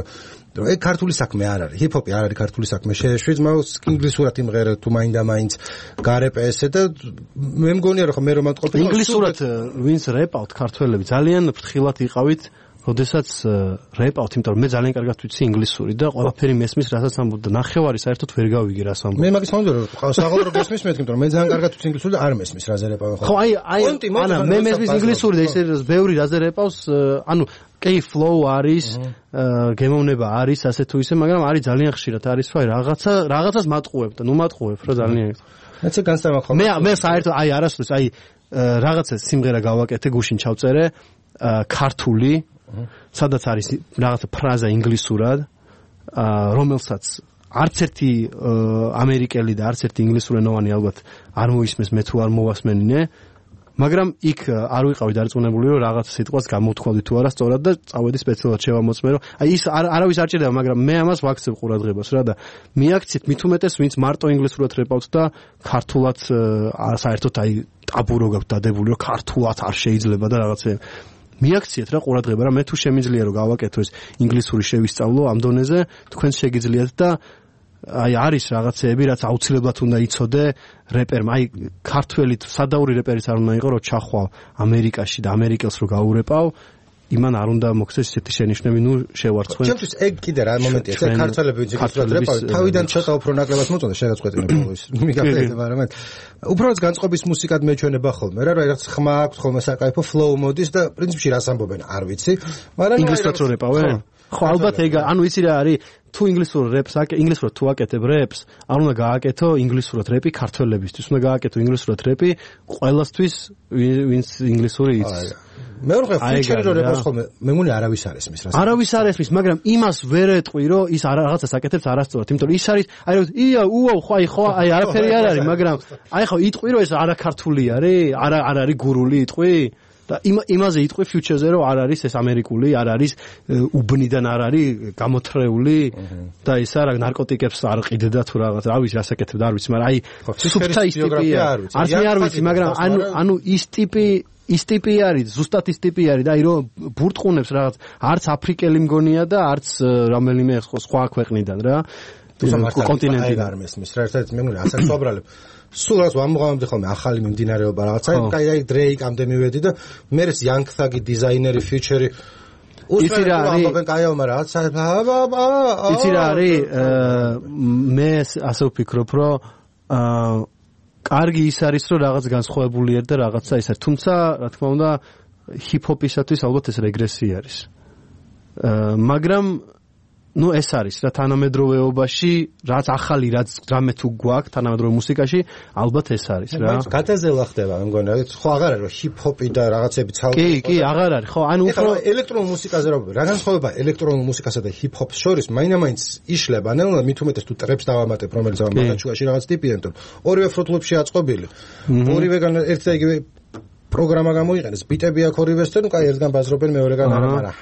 S1: რომ ეგ ქართული საქმე არ არის ჰიპ-ჰოპი არ არის ქართული საქმე შეშვით მაგრამ ინგლისურად იმღერე თუ მაინდა-მაინც გარეპესე და მე მგონია რომ მე რომ ამტყობ
S3: ინგლისურად ვინც რეპავთ ქართველები ძალიან ფრთხილად იყავით როდესაც რეპავთ იმიტომ რომ მე ძალიან კარგად ვიცი ინგლისური და ყველაფერი მესმის რასაც ამბობ და ნახევარი საერთოდ ვერ გავიგე რას ამბობ
S1: მე მაგის მომდევნო რომ საღოლრო გესმის მე თქო რომ მე ძალიან კარგად ვიცი ინგლისური და არ მესმის რაზე რეპავ
S3: ხო აი ანა მე მესმის ინგლისური და ისე ბევრი რაზე რეპავს ანუ კი flow არის გემოვნება არის ასე თუ ისე მაგრამ არის ძალიან ხშირად არის ვაი რაღაცას მატყუებ და ნუ მატყუებ რა ძალიან
S1: მეც განსწავლა ხოლმე
S3: მე საერთოდ აი არასდროს აი რაღაცა სიმღერა გავაკეთე გუშინ ჩავწერე ქართული სადაც არის რაღაცა ფრაზა ინგლისურად რომელსაც არც ერთი ამერიკელი და არც ერთი ინგლისურენოვანი ალბათ არ მოისმენს მე თუ არ მოვასმენინე მაგრამ იქ არ ვიყავი დარწმუნებული რომ რაღაც სიტყვას გამოვთქვი თუ არა სწორად და წავედი სპეციალურად შევამოწმე რომ აი ის არავის არ ჭირდება მაგრამ მე ამას ვაქცევ ყურადღებას რა და მიაქცეთ მით უმეტეს ვინც მარტო ინგლისურად რეპავთ და ქართულად საერთოდ აი ტაბურო გაქვთ დადებული რომ ქართულად არ შეიძლება და რაღაცე მიაქციეთ რა ყურადღება რა მე თუ შემიძლია რომ გავაკეთო ეს ინგლისური შევისწავლო ამ დონეზე თქვენს შეგიძლიათ და აი არის რაღაცეები რაც აუცილებლად უნდა იცოდე რეპერმა აი ქართველი სადაური რეპერიც არ უნდა იყოს რომ ჩახვალ ამერიკაში და ამერიკელს რო გაურეპავ იმან არ უნდა მოხდეს ესეთი შენიშვნები ნუ შევარცხვენ
S1: ჩემთვის ეგ კიდე რა მომენტია ეს ქართველები ვინც ინგლისურად რეპავენ თავიდან ცოტა უფრო ნაკლებად მოწონდა შეგაწყვეტინე ბოლოს მიგაფერდება რა მაგრამ უბრალოდ განწყობის მუსიკად მეჩვენება ხოლმე რა რაღაც ხმა აქვს ხოლმე საკაიფო flow მოდის და პრინციპში რას ამბობენ არ ვიცი მაგრამ
S3: ინგლისურად რო რეპავენ ხო ალბათ ეგ ანუ იცი რა არის თუ ინგლისურად თუ აკეთებ რეპს არ უნდა გააკეთო ინგლისურად რეპი ქართველებისთვის უნდა გააკეთო ინგლისურად რეპი ყველასთვის ვინც ინგლისური იცის
S1: მეორე ფიჩერი რო რეპავს ხოლმე მე მგონი არავის არ ესმის რა
S3: არავის არ ესმის მაგრამ იმას ვერ ეტყვი რომ ის რაღაცას აკეთებს არასწორად იმიტომ რომ ის არის აი რომ ხო აი არაფერი არ არის მაგრამ აი ხო იტყვი რომ ეს არაქართული არის არ არის გურული იტყვი და იმაზე იტყვი ფიუჩერზე რომ არ არის ეს ამერიკული არ არის უბნიდან არ არის გამოთრეული და ის არა ნარკოტიკებს არ ყიდდა თუ რაღაც რა ვიცი რას აკეთებდა არ ვიცი მაგრამ აი სუფთა ის ტიპია არც მე არ ვიცი მაგრამ ანუ ის ტიპი არის ზუსტად ის ტიპი არის და აი რომ ბურტყუნებს რაღაც არც აფრიკელი მგონია და არც რომელიმე სხვა ქვეყნიდან რა კონტინენტიდან
S1: არ მესმის რა ერთად მე მგონი ასაკ სობრალებ სულ რაც ვამოღამდი ხოლმე ახალი მიმდინარეობა რაღაცა აი დრეიკამდე მივედი და მერე Young Thug დიზაინერი ფიუჩერი
S3: იცი რა არის
S1: კაიო მაგრამ
S3: იცი რა არის მე ასე ვფიქრობ რომ კარგი ის არის რომ რაღაც განსხვავებულია და რაღაცა ის არის თუმცა რა თქმა უნდა ჰიპ-ჰოპისათვის ალბათ ეს რეგრესია არის მაგრამ ну ეს არის რა თანამედროვეობაში რაც ახალი რაც რამე თუ გვაქვს თანამედროვე მუსიკაში ალბათ ეს არის რა
S1: გადაზელა ხდება მე მგონი რა ხო აღარ არის რომ ჰიპ-ჰოპი და რაღაცები ცალკე
S3: კი აღარ არის ხო ანუ უფრო
S1: ელექტრონულ მუსიკაზე რა განსხვავება ელექტრონულ მუსიკასა და ჰიპ-ჰოპს შორის მაინდა-მაინც იშლება ნელა მით უმეტეს თუ ტრეპს დავამატებ რომელიც ამათაშუაში რაღაც ტიპია იმიტომ ორივე ფრუთლებში აწყობილი ორივეგან ერთ და იგივე პროგრამა გამოიყენეს ბიტები აქ ორივესთან კაი ერთგან ბაზრობენ მეორეგან არა მაგრამ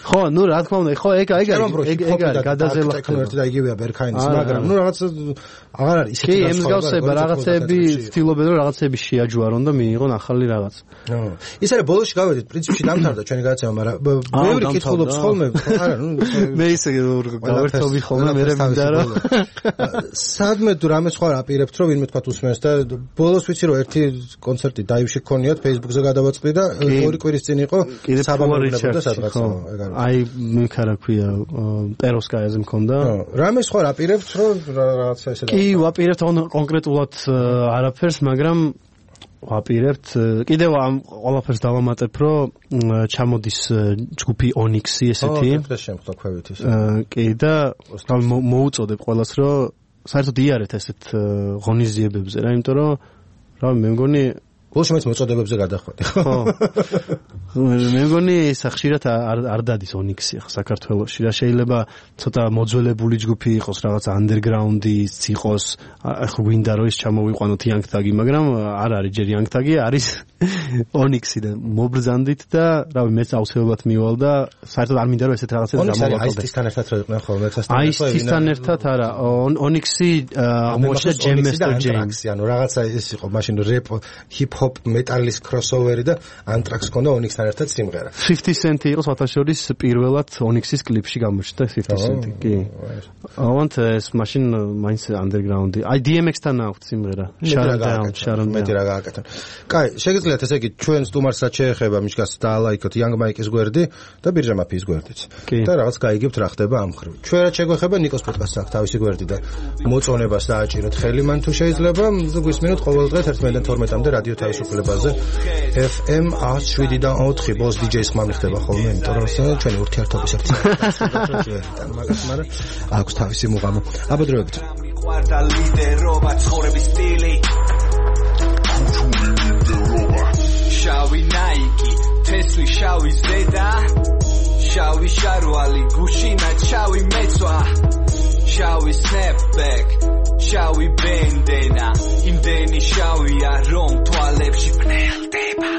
S3: ხო ნუ რა თქმა უნდა ხო ეგ არის გადაზელა
S1: ტექნო ერთი და იგივეა ბერქაინის მაგრამ ნუ რაღაც აღარ არის ისეთი
S3: კი ემსგავსება რაღაცები ცდილობენ რომ რაღაცები შეაჯვარონ და მიიღონ ახალი რაღაც
S1: ის არის ბოლოში გავედით პრინციპში დამთავრდა ჩვენი გადაცემა მაგრამ ბევრი კითხულობს ხოლმე არა ნუ
S3: მე ისე გავერთობი ხოლმე მე მინდა რომ
S1: სადმე თუ რამე სხვა აპირებთ რომ ვინმე თქვა უსმენს და ბოლოს ვიცი რომ ერთი კონცერტი დაივში ქონიათ Facebook-ზე გადავაწყდი და ორი კვირის წინ იყო საბამებოდა სადღაც
S3: აი მე რა ქვია პეროვსკაიაზე მქონდა
S1: რამე სხვა აპირებთ რომ რაღაცა ესე
S3: კი ვაპირებთ კონკრეტულად არაფერს მაგრამ ვაპირებთ კიდევ ამ ყველაფერს დავამატებ რომ ჩამოდის ჯგუფი Onyx-ი ესეთი
S1: ეს შემთხვევა ქვევით ის
S3: კი და მოუწოდებ ყველას რომ საერთოდ იარეთ ესეთ ღონისძიებებზე რა იმიტომ რომ რა მე მგონი
S1: ბოლოს მეც მოწოდებებზე გადახვედი
S3: ხო მე მგონი ეს ხშირად არ დადის ონიქსი ახლა საქართველოში რა შეიძლება ცოტა მოძველებული ჯგუფი იყოს რაღაც underground-ი იყოს ახლა გვინდა რომ ის ჩამოვიყვანოთ Young Thug-ი მაგრამ არ არის ჯერ Young Thug-ი არის ონიქსი და მობრძანდით და რავი მეც აუცილებლად მივალ და საერთოდ არ მინდა რომ ესეთ რაღაცებს
S1: გამოვაკლდე აისთან ერთად რო იყვნენ ხოლმე
S3: აისთან ერთად არა ონიქსი აღმოჩნდა ჯემ მასტერ ჯეიმს
S1: ანუ რაღაცა ეს იყო მაშინ რეპ ჰიპ-ჰოპ მეტალის crossover-ი და Anthrax ქონდა ონიქსთან ერთად სიმღერა
S3: 50 Cent იყო სათაშორის პირველად ონიქსის კლიპში გამოჩნდა 50 Cent კი ავანთ ეს მაშინ მაინც underground-ი აი DMX-თან აქვს სიმღერა Sharon
S1: მეტი რა გააკეთონ კაი შეგიძლიათ ესე იგი ჩვენ სტუმარს რაც შეეხება მიშკას დაალაიქოთ Young Mike-ის გვერდი და ბირჟა მაფიის გვერდიც და რაღაც გაიგებთ რა ხდება ამ ხრივ ჩვენ რაც შეგვეხება ნიკოს პოდკასტს აქვს თავისი გვერდი და მოწონებას დააჭიროთ ხელი მან თუ შეიძლება გვისმინოთ ყოველ დღე 11-12-მდე რადიო თავისუფლებაზე FM 107-დან 4 ბოს DJ-ს ხმამი ხდება ხოლმე იმიტომ რომ ჩვენი ურთიერთობის ერთი მაგას მაგრამ აქვს თავისი მუღამო აბადროებით
S4: ყვარდა ლიდერობა ცხოვრების სტილი შავი ნაიკი თესლი შავი ზედა შავი შარვალი გუშინა შავი მეცვა შავი snapback შავი ბენდენა იმდენი შავია რომ თვალებში პნელდება